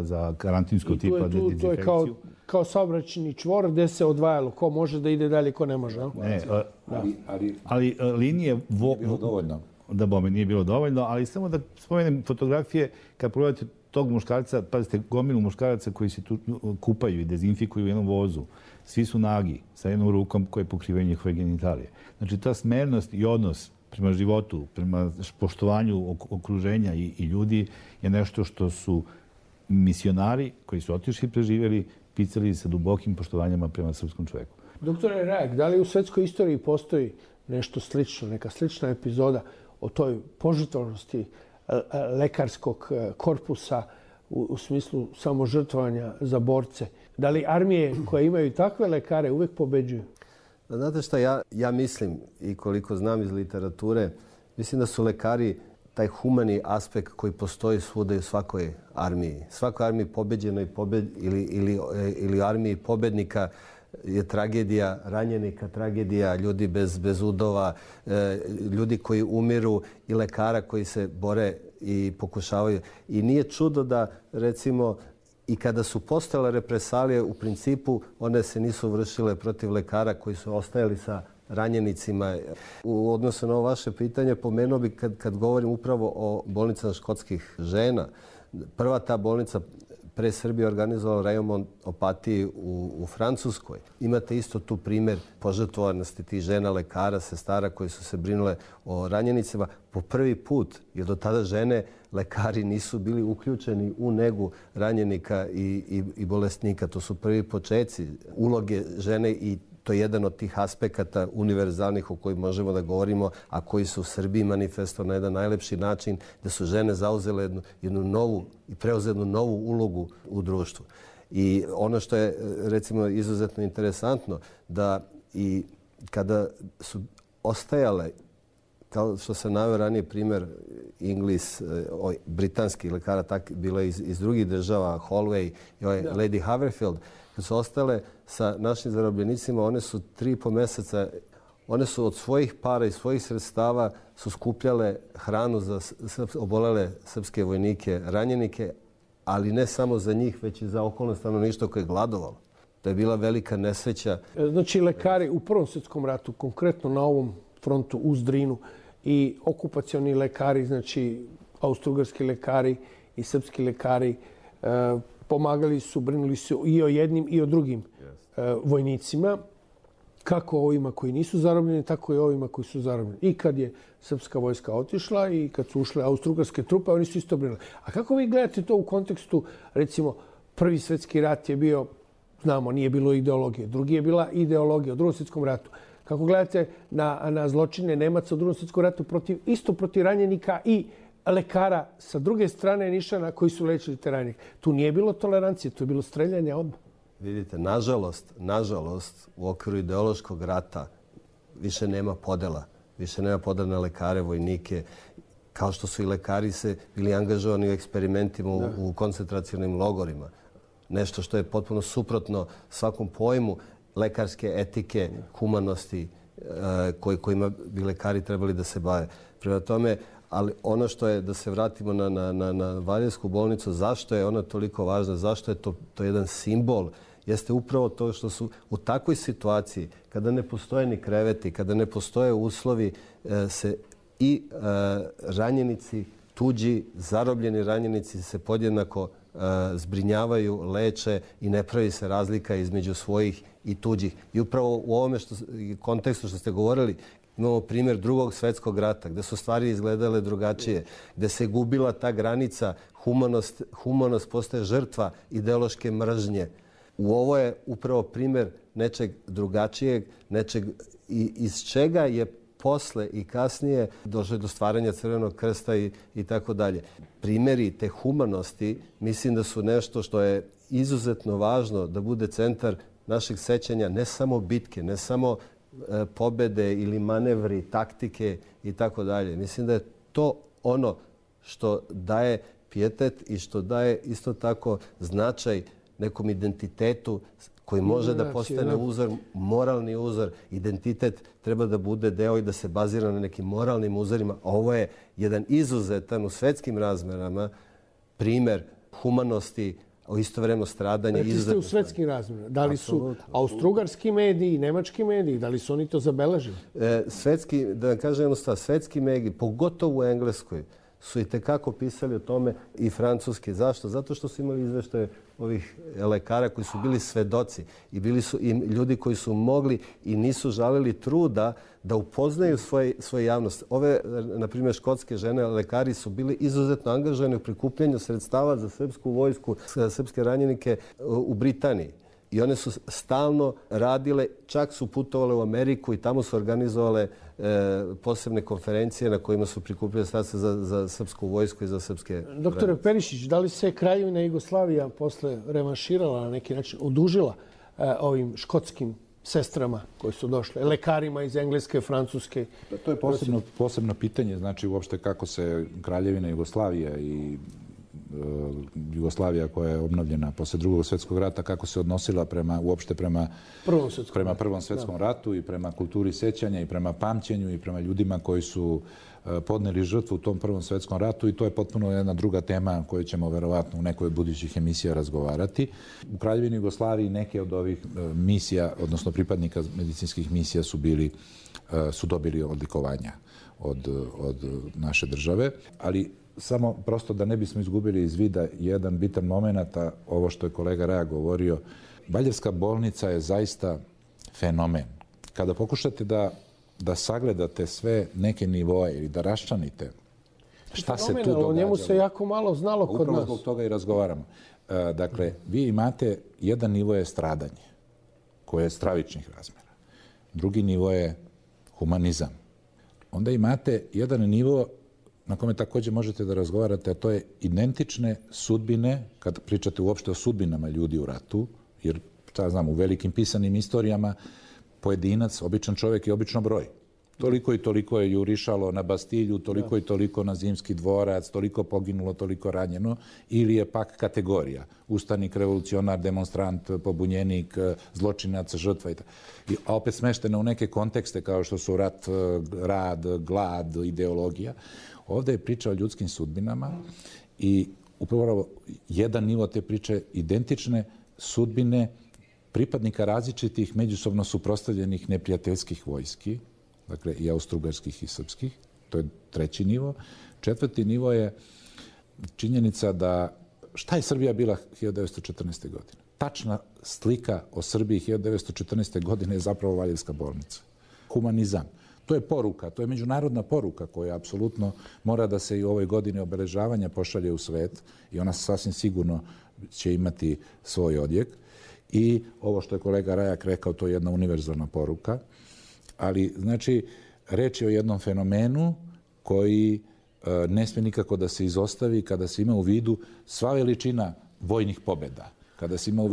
za karantinsko tipa dezinfekciju. To je kao saobraćajni čvor gde se odvajalo ko može da ide dalje, ko ne može. Ne, ali linije... Nije bilo dovoljno. Da, bome, nije bilo dovoljno, ali samo da spomenem fotografije, kad pogledate tog muškarca, pazite, gomilu muškaraca koji se tu kupaju i dezinfikuju u jednom vozu. Svi su nagi, sa jednom rukom koje pokrivaju njihove genitalije. Znači, ta smernost i odnos prema životu, prema poštovanju okruženja i ljudi je nešto što su misionari koji su otišli i preživjeli, pisali sa dubokim poštovanjama prema srpskom čoveku. Doktore Rajak, da li u svetskoj istoriji postoji nešto slično, neka slična epizoda o toj požrtvovanosti lekarskog korpusa u smislu samožrtvovanja za borce? Da li armije koje imaju takve lekare uvek pobeđuju? Znate šta, ja mislim i koliko znam iz literature, mislim da su lekari taj humani aspekt koji postoji svuda i u svakoj armiji. Svakoj armiji pobeđenoj ili armiji pobednika je tragedija ranjenika, tragedija ljudi bez udova, ljudi koji umiru i lekara koji se bore i pokušavaju. I nije čudo da, recimo, i kada su postale represalije, u principu one se nisu vršile protiv lekara koji su ostajali sa ranjenicima. U odnosu na ovo vaše pitanje, pomenuo bih kad govorim upravo o bolnicama škotskih žena. Prva ta bolnica pre Srbije organizovala rejon Opatiji u Francuskoj. Imate isto tu primjer požrtvovanosti tih žena, lekara, sestara koji su se brinule o ranjenicima po prvi put, jer do tada žene, lekari nisu bili uključeni u negu ranjenika i bolesnika. To su prvi početci uloge žene i to je jedan od tih aspekata univerzalnih o kojima možemo da govorimo, a koji su u Srbiji manifestovali na jedan najlepši način, da su žene zauzele jednu novu i preuzele jednu novu ulogu u društvu. I ono što je, recimo, izuzetno interesantno, da i kada su ostajale kao što sam naveo ranije primjer britanskih lekara, bilo je iz drugih država, Holloway i Lady Haverfield, kad su ostale sa našim zarobljenicima, one su 3,5 mjeseca, one su od svojih para i svojih sredstava su skupljale hranu za obolele srpske vojnike, ranjenike, ali ne samo za njih, već i za okolno stanovništvo koje je gladovalo. To je bila velika nesreća. Znači, lekari u Prvom svjetskom ratu, konkretno na ovom frontu uz Drinu, i okupacioni lekari, znači austrougarski lekari i srpski lekari, pomagali su, brinuli su i o jednim i o drugim vojnicima, kako ovima koji nisu zarobljeni, tako i ovima koji su zarobljeni. I kad je srpska vojska otišla i kad su ušle austrougarske trupe, oni su isto brinuli. A kako vi gledate to u kontekstu, recimo, Prvi svjetski rat je bio, znamo, nije bilo ideologije. Drugi je bila ideologija u Drugom svjetskom ratu. Kako gledate na zločine Nemaca u Drugom svjetskom ratu isto protiv ranjenika i lekara sa druge strane Nišana koji su lečili te ranjenike? Tu nije bilo tolerancije, tu je bilo streljanje odmah. Vidite, nažalost, u okviru ideološkog rata više nema podela. Više nema podela na lekare, vojnike, kao što su i lekari se bili angažovani u eksperimentima u koncentracionim logorima. Nešto što je potpuno suprotno svakom pojmu lekarske etike, humanosti kojima bi lekari trebali da se bave. Prema tome, ali ono što je, da se vratimo na Valjevsku bolnicu, zašto je ona toliko važna, zašto je to jedan simbol, jeste upravo to što su u takvoj situaciji, kada ne postoje ni kreveti, kada ne postoje uslovi, se i ranjenici, tuđi, zarobljeni ranjenici se podjednako zbrinjavaju, leče i ne pravi se razlika između svojih i tuđih. I upravo u ovome kontekstu što ste govorili, imamo primjer Drugog svjetskog rata, gdje su stvari izgledale drugačije, gdje se gubila ta granica, humanost postaje žrtva ideološke mržnje. U ovo je upravo primjer nečeg drugačijeg, nečeg iz čega je posle i kasnije došlo do stvaranja Crvenog krsta i tako dalje. Primjeri te humanosti mislim da su nešto što je izuzetno važno da bude centar našeg sećanja, ne samo bitke, ne samo pobede ili manevri, taktike i tako dalje. Mislim da je to ono što daje pijetet i što daje isto tako značaj nekom identitetu koji može da postane uzor, moralni uzor. Identitet treba da bude deo i da se bazira na nekim moralnim uzorima. Ovo je jedan izuzetan u svetskim razmerama primjer humanosti, o istovremeno stradanje. Rekli ste u svetskim razmerama. Da li su austrougarski mediji i nemački mediji, da li su oni to zabeležili? Svetski, da vam kažem jedno stvar, svetski mediji, pogotovo u Engleskoj, su i tekako pisali o tome i francuski. Zašto? Zato što su imali izveštaje ovih lekara koji su bili svedoci i bili su i ljudi koji su mogli i nisu žalili truda da upoznaju svoje javnost. Ove, na primjer, škotske žene, lekari su bili izuzetno angažovani u prikupljanju sredstava za srpsku vojsku, za srpske ranjenike u Britaniji. I one su stalno radile, čak su putovale u Ameriku i tamo su organizovale posebne konferencije na kojima su prikupljali sredstva za srpsku vojsku i za srpske... Doktore Perišić, da li se Kraljevina Jugoslavija posle revanširala na neki način, odužila ovim škotskim sestrama koji su došle, lekarima iz Engleske, Francuske? To je posebno pitanje, znači uopšte kako se Kraljevina Jugoslavija i Jugoslavija koja je obnovljena posle Drugog svjetskog rata, kako se odnosila uopšte prema Prvom svjetskom ratu i prema kulturi sećanja i prema pamćenju i prema ljudima koji su podneli žrtvu u tom Prvom svjetskom ratu i to je potpuno jedna druga tema koju ćemo verovatno u nekoj od budućih emisija razgovarati. U Kraljevini Jugoslaviji neke od ovih misija, odnosno pripadnika medicinskih misija su dobili odlikovanja od naše države, ali samo prosto da ne bismo izgubili iz vida jedan bitan moment, a ovo što je kolega Raja govorio, Valjevska bolnica je zaista fenomen. Kada pokušate da sagledate sve neke nivoe ili da raščlanite šta se tu događalo. O njemu se jako malo znalo kod nas. Upravo zbog toga i razgovaramo. Dakle, vi imate jedan nivo je stradanje, koje je stravičnih razmera. Drugi nivo je humanizam. Onda imate jedan nivo na kome također možete da razgovarate, a to je identične sudbine, kad pričate uopšte o sudbinama ljudi u ratu, jer, šta znam, u velikim pisanim istorijama pojedinac, običan čovjek je obično broj. Toliko i toliko je jurišalo na Bastilju, toliko i toliko na Zimski dvorac, toliko poginulo, toliko ranjeno, ili je pak kategorija ustanik, revolucionar, demonstrant, pobunjenik, zločinac, žrtva a opet smešteno u neke kontekste kao što su rat, rad, glad, ideologija. Ovdje je priča o ljudskim sudbinama i upravo jedan nivo te priče identične sudbine pripadnika različitih međusobno suprotstavljenih neprijateljskih vojski, dakle i austrougarskih i srpskih, to je treći nivo. Četvrti nivo je činjenica da šta je Srbija bila 1914. godine? Tačna slika o Srbiji 1914. godine je zapravo Valjevska bolnica. Humanizam. To je poruka, to je međunarodna poruka koja apsolutno mora da se i u ovoj godini obeležavanja pošalje u svet i ona sasvim sigurno će imati svoj odjek. I ovo što je kolega Rajak rekao, to je jedna univerzalna poruka. Ali, znači, reč je o jednom fenomenu koji ne smije nikako da se izostavi kada se ima u vidu sva veličina vojnih pobjeda, kada se ima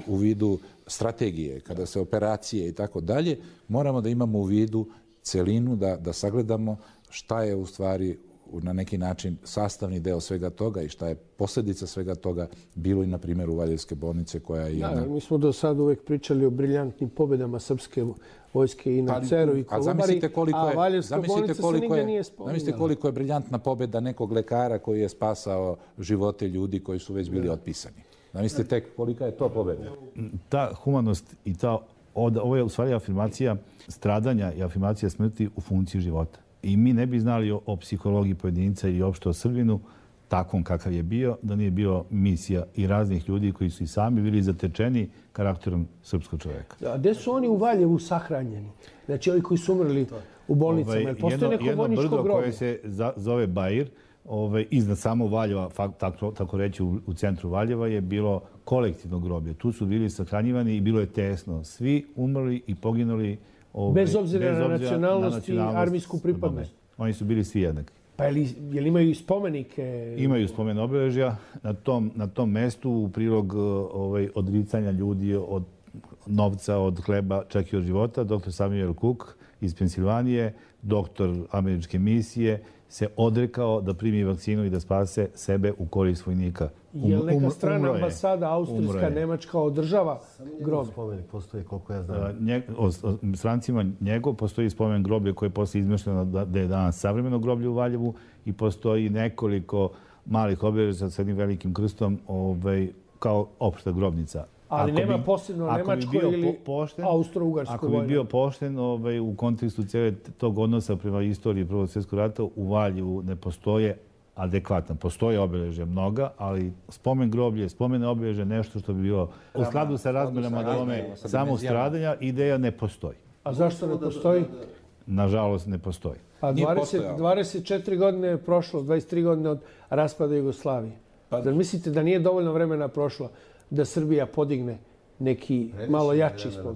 u vidu strategije, kada se operacije i tako dalje, moramo da imamo u vidu celinu, da sagledamo šta je u stvari na neki način sastavni deo svega toga i šta je posljedica svega toga bilo i na primjeru Valjevske bolnice koja je jedna... Mi smo do sada uvijek pričali o briljantnim pobjedama srpske vojske i na Ceru i Kolubari, a Valjevska bolnica se nigdje nije spominjala. Zamislite koliko je briljantna pobjeda nekog lekara koji je spasao živote ljudi koji su već bili otpisani. Zamislite tek kolika je to pobjeda. Ta humanost i ovo je u stvari afirmacija stradanja i afirmacija smrti u funkciji života. I mi ne bi znali o psihologiji pojedinca ili opšte o Srbinu takvom kakav je bio, da nije bio misija i raznih ljudi koji su i sami bili zatečeni karakterom srpskog čovjeka. A gde su oni u Valjevu sahranjeni? Znači, ovi koji su umrli u bolnicama. Postoje neko vojničko groblje? Jedno brdo koje se zove Bajir, iznad samo Valjeva, tako reći u centru Valjeva, je bilo kolektivno groblje. Tu su bili sahranjivani i bilo je tesno. Svi umrli i poginuli bez obzira na nacionalnost i armijsku pripadnost. Oni su bili svi jednaki. Pa je li imaju i spomenike? Imaju spomen obeležja. Na tom mestu u prilog odricanja ljudi od novca, od hleba, čak i od života, dr. Samuel Cook iz Pensilvanije, doktor američke misije, se odrekao da primi vakcinu i da spase sebe u korist vojnika. Je li neka strana ambasada, austrijska, nemačka, održava groblje? Spomenik postoji, koliko ja znam. Strancima njegov postoji spomen groblje koje je posle izmišljeno da je danas savremeno groblje u Valjevu i postoji nekoliko malih obeležja sa jednim velikim krstom kao opšta grobnica. Ali nema posebno nemačko ili austro-ugarsko vojno. Ako bi bio pošten u kontekstu cijele tog odnosa prema istoriji Prvog svjetskog rata, u Valjevu ne postoje adekvatno. Postoje obeležja mnoga, ali spomen groblje, spomene obeležja, nešto što bi bilo u skladu sa razmerama dome samog stradanja, ideja ne postoji. A zašto ne postoji? Nažalost, ne postoji. A 24 godine je prošlo, 23 godine od raspada Jugoslavije. Zar mislite da nije dovoljno vremena prošlo da Srbija podigne neki malo jači spomen?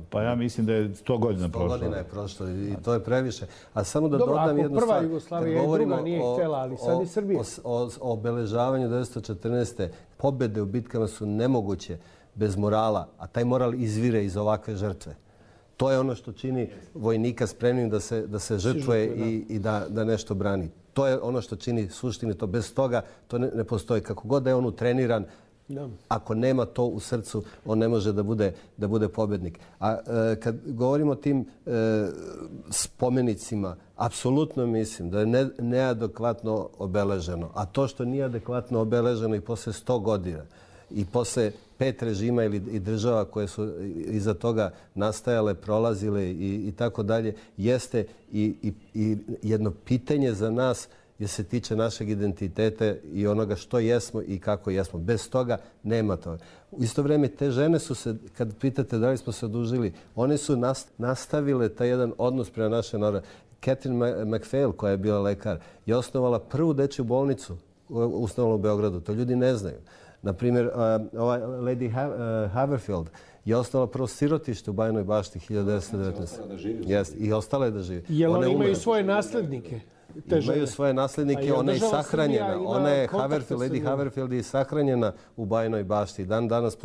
Pa ja mislim da je 100 godina prošlo. 100 godina je prošlo i to je previše. A samo da dodam jednu stvar. Prva Jugoslavija i druga nije htjela, ali sad i Srbija. O obeležavanju 1914. pobjede u bitkama su nemoguće bez morala, a taj moral izvire iz ovakve žrtve. To je ono što čini vojnika spremnim da se žrtvuje i da nešto brani. To je ono što čini suštini. Bez toga to ne postoji. Kako god da je on utreniran, ako nema to u srcu, on ne može da bude pobjednik. A kad govorimo o tim spomenicima, apsolutno mislim da je neadekvatno obeleženo. A to što nije adekvatno obeleženo i posle 100 godina i posle 5 režima i država koje su iza toga nastajale, prolazile i tako dalje, jeste i jedno pitanje za nas jer se tiče našeg identiteta i onoga što jesmo i kako jesmo. Bez toga nema toga. U isto vrijeme te žene su se, kad pitate da li smo se odužili, one su nastavile taj jedan odnos prema naše narode. Catherine MacPhail, koja je bila lekar, je osnovala prvu dečju bolnicu u Beogradu. To ljudi ne znaju. Naprimjer, Lady Haverfield je osnovala prvo sirotište u Bajnoj Bašti 1919. I ostala je da živi. Jel oni imaju svoje naslednike? Imaju svoje naslednike, ona je sahranjena. Ona je Lady Haverfield je sahranjena u Bajnoj Bašti. Dan danas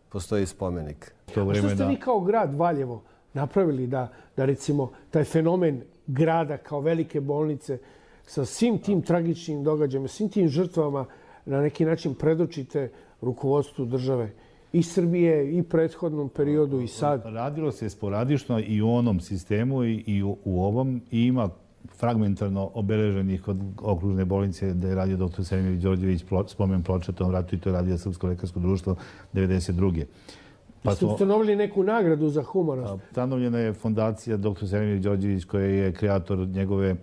postoji spomenik. A što ste vi kao grad Valjevo napravili da recimo taj fenomen grada kao velike bolnice sa svim tim tragičnim događajima, svim tim žrtvama na neki način predočite rukovodstvu države i Srbije i prethodnom periodu i sad. Radilo se sporadično i u onom sistemu i u ovom i ima fragmentarno obeleženih kod okružne bolnice da je radio dr. Selimir Đorđević spomen ploča tom ratu i to je radio Srpsko lekarsko društvo 1992. Pa ste ustanovili neku nagradu za humanost? Ustanovljena je fondacija dr. Selimir Đorđević koja je kreator njegove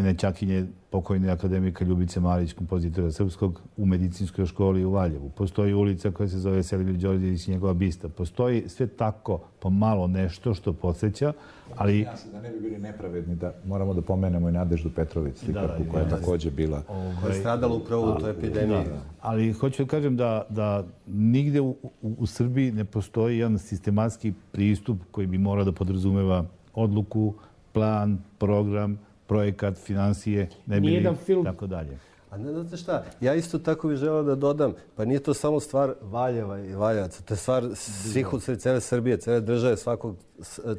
nećakinje pokojne akademika Ljubice Marić, kompozitora srpskog, u medicinskoj školi u Valjevu. Postoji ulica koja se zove Selimir Đorđević i njegova bista. Postoji sve tako pomalo nešto što podsjeća, ali... Ja se da ne bi bili nepravedni, da moramo da pomenemo i Nadeždu Petrović, slikarku koja je također bila... Koja je stradala upravo u toj epidemiji. Ali hoću da kažem da nigde u Srbiji ne postoji jedan sistematski pristup koji bi morao da podrazumeva odluku, plan, program, projekat, financije, ne bi li, tako dalje. A ne znate šta, ja isto tako bih želeo da dodam, pa nije to samo stvar Valjeva i Valjevaca, to je stvar svih u cele Srbije, cele države, svakog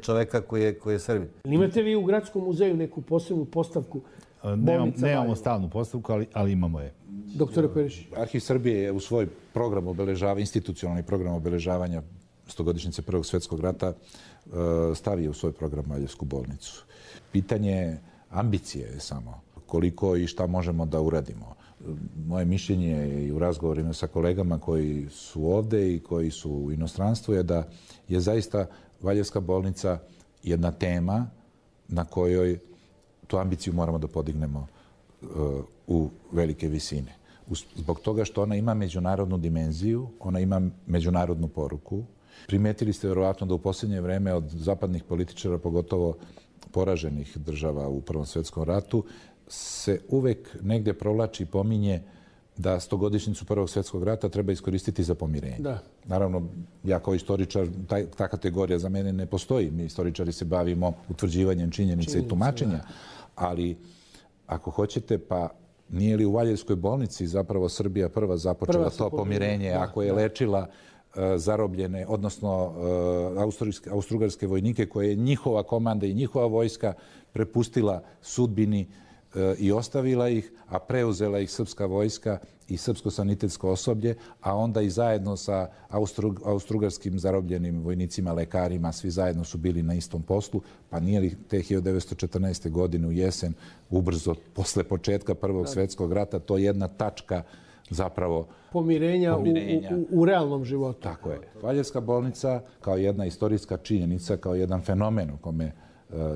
čoveka koji je Srbin. Imate vi u Gradskom muzeju neku posebnu postavku bolnica Nemamo stalnu postavku, ali imamo je. Doktore Perišić. Arhiv Srbije je u svoj program obeležavanja, institucionalni program obeležavanja 100-godišnjice Prvog svjetskog rata stavio u svoj program Valjevsku bolnicu. Pitanje ambicije je samo koliko i šta možemo da uradimo. Moje mišljenje i u razgovorima sa kolegama koji su ovde i koji su u inostranstvu je da je zaista Valjevska bolnica jedna tema na kojoj tu ambiciju moramo da podignemo u velike visine. Zbog toga što ona ima međunarodnu dimenziju, ona ima međunarodnu poruku. Primetili ste vjerovatno da u posljednje vreme od zapadnih političara, pogotovo poraženih država u Prvom svjetskom ratu, se uvek negde provlači i pominje da 100-godišnjicu Prvog svjetskog rata treba iskoristiti za pomirenje. Da. Naravno, ja kao istoričar, ta kategorija za mene ne postoji. Mi istoričari se bavimo utvrđivanjem činjenica i tumačenja, ali ako hoćete, pa nije li u Valjevskoj bolnici zapravo Srbija prva započela to pomirenje, ako je lečila zarobljene, odnosno austrougarske vojnike koje je njihova komanda i njihova vojska prepustila sudbini i ostavila ih, a preuzela ih srpska vojska i srpsko sanitetsko osoblje, a onda i zajedno sa austrougarskim zarobljenim vojnicima, lekarima, svi zajedno su bili na istom poslu, pa nije li te 1914. godine u jesen, ubrzo posle početka Prvog svjetskog rata, to je jedna tačka zapravo pomirenja. U realnom životu. Tako je. Valjevska bolnica kao jedna istorijska činjenica, kao jedan fenomen o kome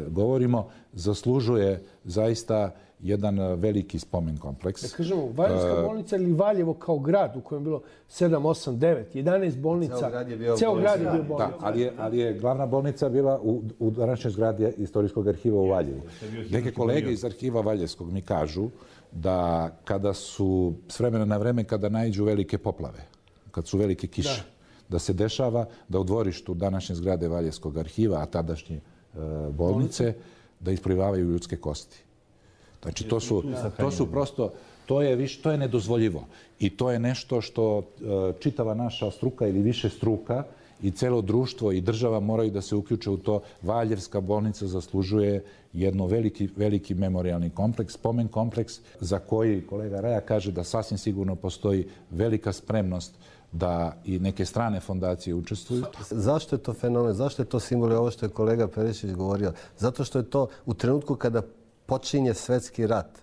govorimo, zaslužuje zaista jedan veliki spomen kompleks. Da kažemo, Valjevska bolnica ili Valjevo kao grad u kojem je bilo 7, 8, 9, 11 bolnica. Ceo grad je bio bolnica. Da, ali je glavna bolnica bila u današnjoj zgradi Istorijskog arhiva u Valjevu. Neke kolege iz arhiva Valjevskog mi kažu da kada su s vremena na vreme, kada naiđu velike poplave, kad su velike kiše, da se dešava da u dvorištu današnje zgrade Valjevskog arhiva, a tadašnje bolnice, da isplivavaju ljudske kosti. Znači, to su prosto, to je nedozvoljivo. I to je nešto što čitava naša struka ili više struka i celo društvo i država moraju da se uključe u to. Valjevska bolnica zaslužuje jedno veliki memorialni kompleks, spomen kompleks, za koji kolega Raja kaže da sasvim sigurno postoji velika spremnost da i neke strane fondacije učestvuju. Zašto je to fenomen? Zašto je to simbol? Ovo što je kolega Perišić govorio. Zato što je to u trenutku kada počinje svetski rat,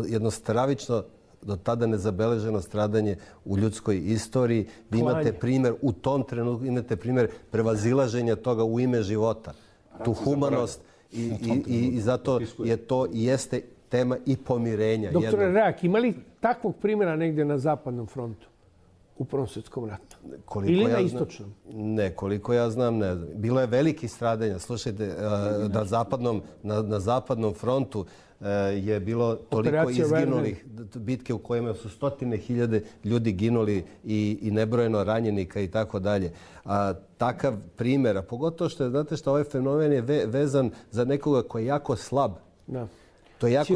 jedno stravično, do tada nezabeleženo stradanje u ljudskoj istoriji. Vi imate primjer, u tom trenutku imate primjer prevazilaženja toga u ime života. Tu humanost i zato je to i jeste tema i pomirenja. Doktore Rajak, ima li takvog primjera negdje na Zapadnom frontu? U Prvom svjetskom ratu? Ili na istočnom? Ne, koliko ja znam, ne znam. Bilo je veliki stradanja. Slušajte, na Zapadnom frontu je bilo toliko izginulih bitke u kojima su 100.000 ljudi ginuli i nebrojeno ranjenika i tako dalje. Takav primjer, a pogotovo što je, znate što, ovaj fenomen je vezan za nekoga koji je jako slab. Da. To je jako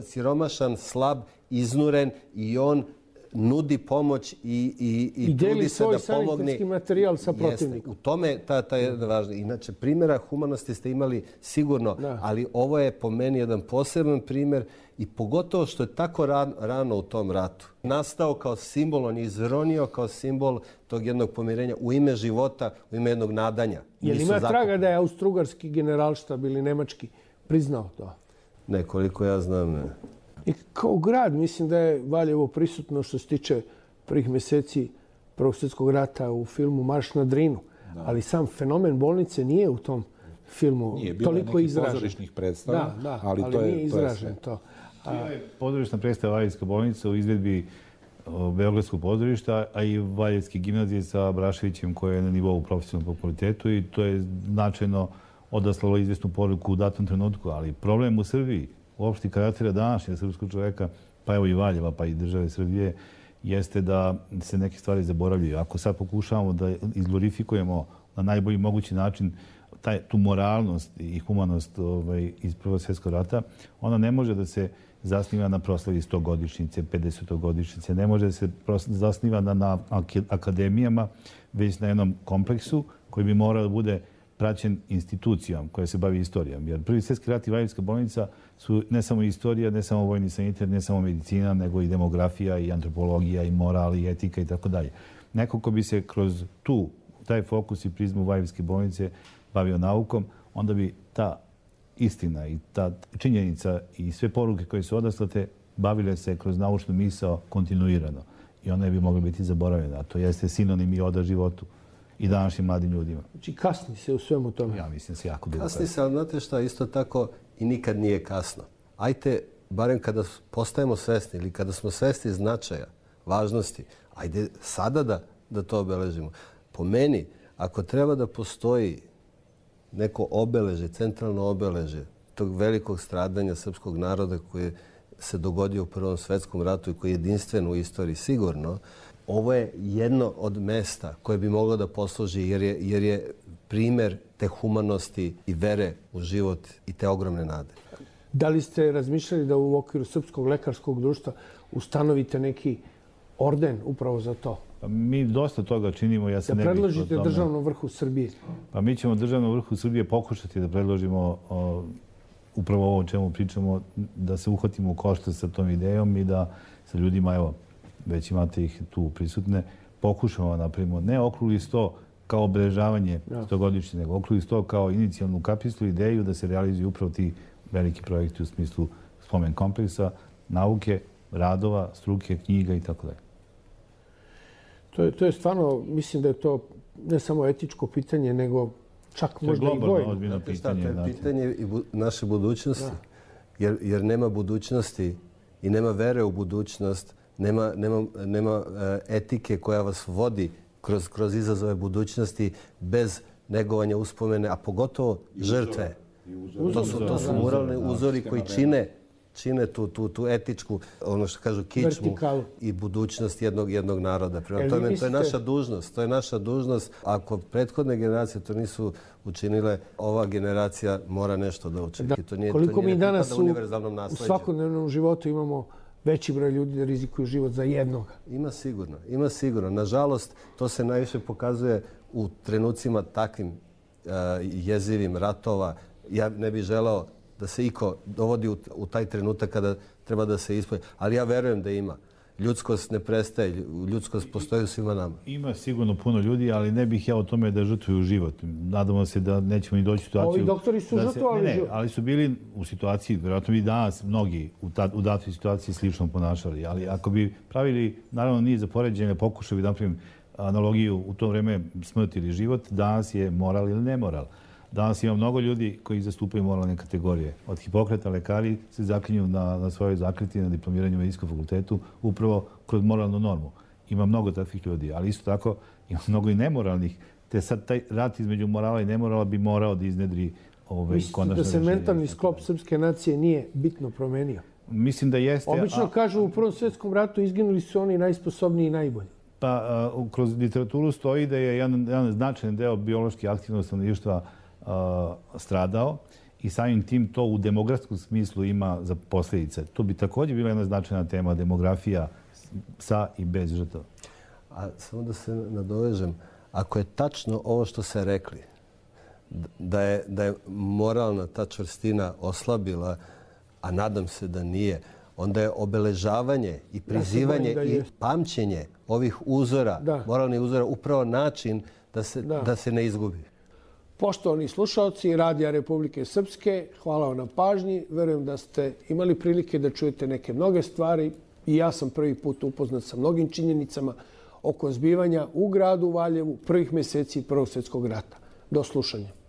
siromašan, slab, iznuren i on nudi pomoć i trudi se da pomogne. I deli svoj sanitetski materijal sa protivnikom. U tome ta je važna. Inače, primjera humanosti ste imali sigurno, ali ovo je po meni jedan poseban primjer i pogotovo što je tako rano u tom ratu nastao kao simbol, on je izronio kao simbol tog jednog pomirenja u ime života, u ime jednog nadanja. Je li ima traga da je austrougarski generalštab ili nemački priznao to? Ne, koliko ja znam, ne. I kao grad, mislim da je Valjevo prisutno što se tiče prvih mjeseci Prvog svjetskog rata u filmu Marš na Drinu. Ali sam fenomen bolnice nije u tom filmu toliko izražen. Nije bilo pozorišnih predstava, ali nije izražen to. Pozorišna predstava Valjevska bolnica u izvedbi Beogradskog pozorišta, a i Valjevske gimnazije sa Braševićem koje je na nivou profesionalnog fakultetu i to je značajno odaslalo izvjesnu poruku u datom trenutku. Ali problem u Srbiji, uopšte karaktera današnjeg srpskog čoveka, pa evo i Valjeva, pa i države Srbije, jeste da se neke stvari zaboravljaju. Ako sad pokušavamo da izglorifikujemo na najbolji mogući način tu moralnost i humanost iz Prvog svjetskog rata, ona ne može da se zasniva na proslavi 100-godišnjice, 50-godišnjice, ne može da se zasniva na akademijama, već na jednom kompleksu koji bi morao da bude praćen institucijom koja se bavi istorijom. Jer Prvi svjetski rat i Valjevska bolnica su ne samo istorija, ne samo vojni sanitar, ne samo medicina, nego i demografija, i antropologija, i moral, i etika i tako dalje. Neko ko bi se kroz taj fokus i prizmu Valjevske bolnice bavio naukom, onda bi ta istina i ta činjenica i sve poruke koje su odaslate bavile se kroz naučnu misao kontinuirano. I ona bi mogla biti zaboravljena. A to jeste sinonim i oda životu i današnjim mladim ljudima. Znači kasni se u svemu tome. Ja mislim se jako dugo kasni se, ali znate šta, isto tako i nikad nije kasno. Ajde, barem kada postajemo svesni ili kada smo svesni značaja, važnosti, ajde sada da to obeležimo. Po meni, ako treba da postoji neko obeleže, centralno obeleže tog velikog stradanja srpskog naroda koje se dogodio u Prvom svjetskom ratu i koji je jedinstven u istoriji sigurno, ovo je jedno od mesta koje bi moglo da posluži jer je primjer te humanosti i vere u život i te ogromne nade. Da li ste razmišljali da u okviru Srpskog lekarskog društva ustanovite neki orden upravo za to? Mi dosta toga činimo. Ja se da predložite državnom vrhu Srbije? Pa mi ćemo državnom vrhu Srbije pokušati da predložimo upravo ovo o čemu pričamo, da se uhvatimo u koštac sa tom idejom i da sa ljudima, evo, već imate ih tu prisutne, pokušamo da napravimo ne okrugli sto kao obeležavanje 100-godišnjice, nego okrugli sto kao inicijalnu kapislu ideju da se realizuju upravo ti veliki projekti u smislu spomen kompleksa, nauke, radova, struke, knjiga i tako dalje. To je stvarno, mislim da je to ne samo etičko pitanje, nego čak možda i vojno. To je pitanje i naše budućnosti. Jer nema budućnosti i nema vere u budućnost, nema etike koja vas vodi kroz izazove budućnosti bez negovanja uspomene, a pogotovo žrtve. To su moralni uzori koji čine tu etičku, ono što kažu, kičmu i budućnost jednog naroda. Prema tome, to je naša dužnost. To je naša dužnost. Ako prethodne generacije to nisu učinile, ova generacija mora nešto da učini. Koliko mi danas u svakodnevnom životu imamo veći broj ljudi da rizikuju život za jednoga? Ima sigurno. Nažalost, to se najviše pokazuje u trenucima takvim jezivim ratova. Ja ne bih želeo da se iko dovodi u taj trenutak kada treba da se ispoje. Ali ja verujem da ima. Ljudskost ne prestaje. Ljudskost postoji u svima nama. Ima sigurno puno ljudi, ali ne bih ja o tome da žrtvuju život. Nadamo se da nećemo ni doći u situaciju... Ovi doktori su žrtvovali život. Ne, ali su bili u situaciji, vjerojatno bi danas mnogi u datoj situaciji slično ponašali. Ali ako bi pravili, naravno nije za poređenje, pokušao bi da napravim analogiju u to vreme smrt ili život, danas je moral ili nemoral. Danas ima mnogo ljudi koji zastupaju moralne kategorije. Od Hipokrata lekari se zaklinju na svojoj zakleti na diplomiranju medicinskom fakultetu upravo kroz moralnu normu. Ima mnogo takvih ljudi, ali isto tako ima mnogo i nemoralnih. Te sad taj rat između morala i nemorala bi morao da iznedri konačno rešenje. Mislite da se mentalni sklop srpske nacije nije bitno promenio? Mislim da jeste. Obično kažu u Prvom svjetskom ratu izginuli su oni najsposobniji i najbolji. Pa kroz literaturu stoji da je jedan značajan deo biološki aktivnog stanovništva stradao i samim tim to u demografskom smislu ima za posljedice. To bi također bila jedna značajna tema, demografija sa i bez žrtava. A samo da se nadovežem, ako je tačno ovo što se rekli, da je moralna ta čvrstina oslabila, a nadam se da nije, onda je obeležavanje i prizivanje i pamćenje ovih uzora, moralnih uzora, upravo način da se ne izgubi. Poštovani slušalci Radija Republike Srpske, hvala vam na pažnji. Verujem da ste imali prilike da čujete neke mnoge stvari i ja sam prvi put upoznat sa mnogim činjenicama oko zbivanja u gradu Valjevu prvih meseci Prvog svjetskog rata. Do slušanja.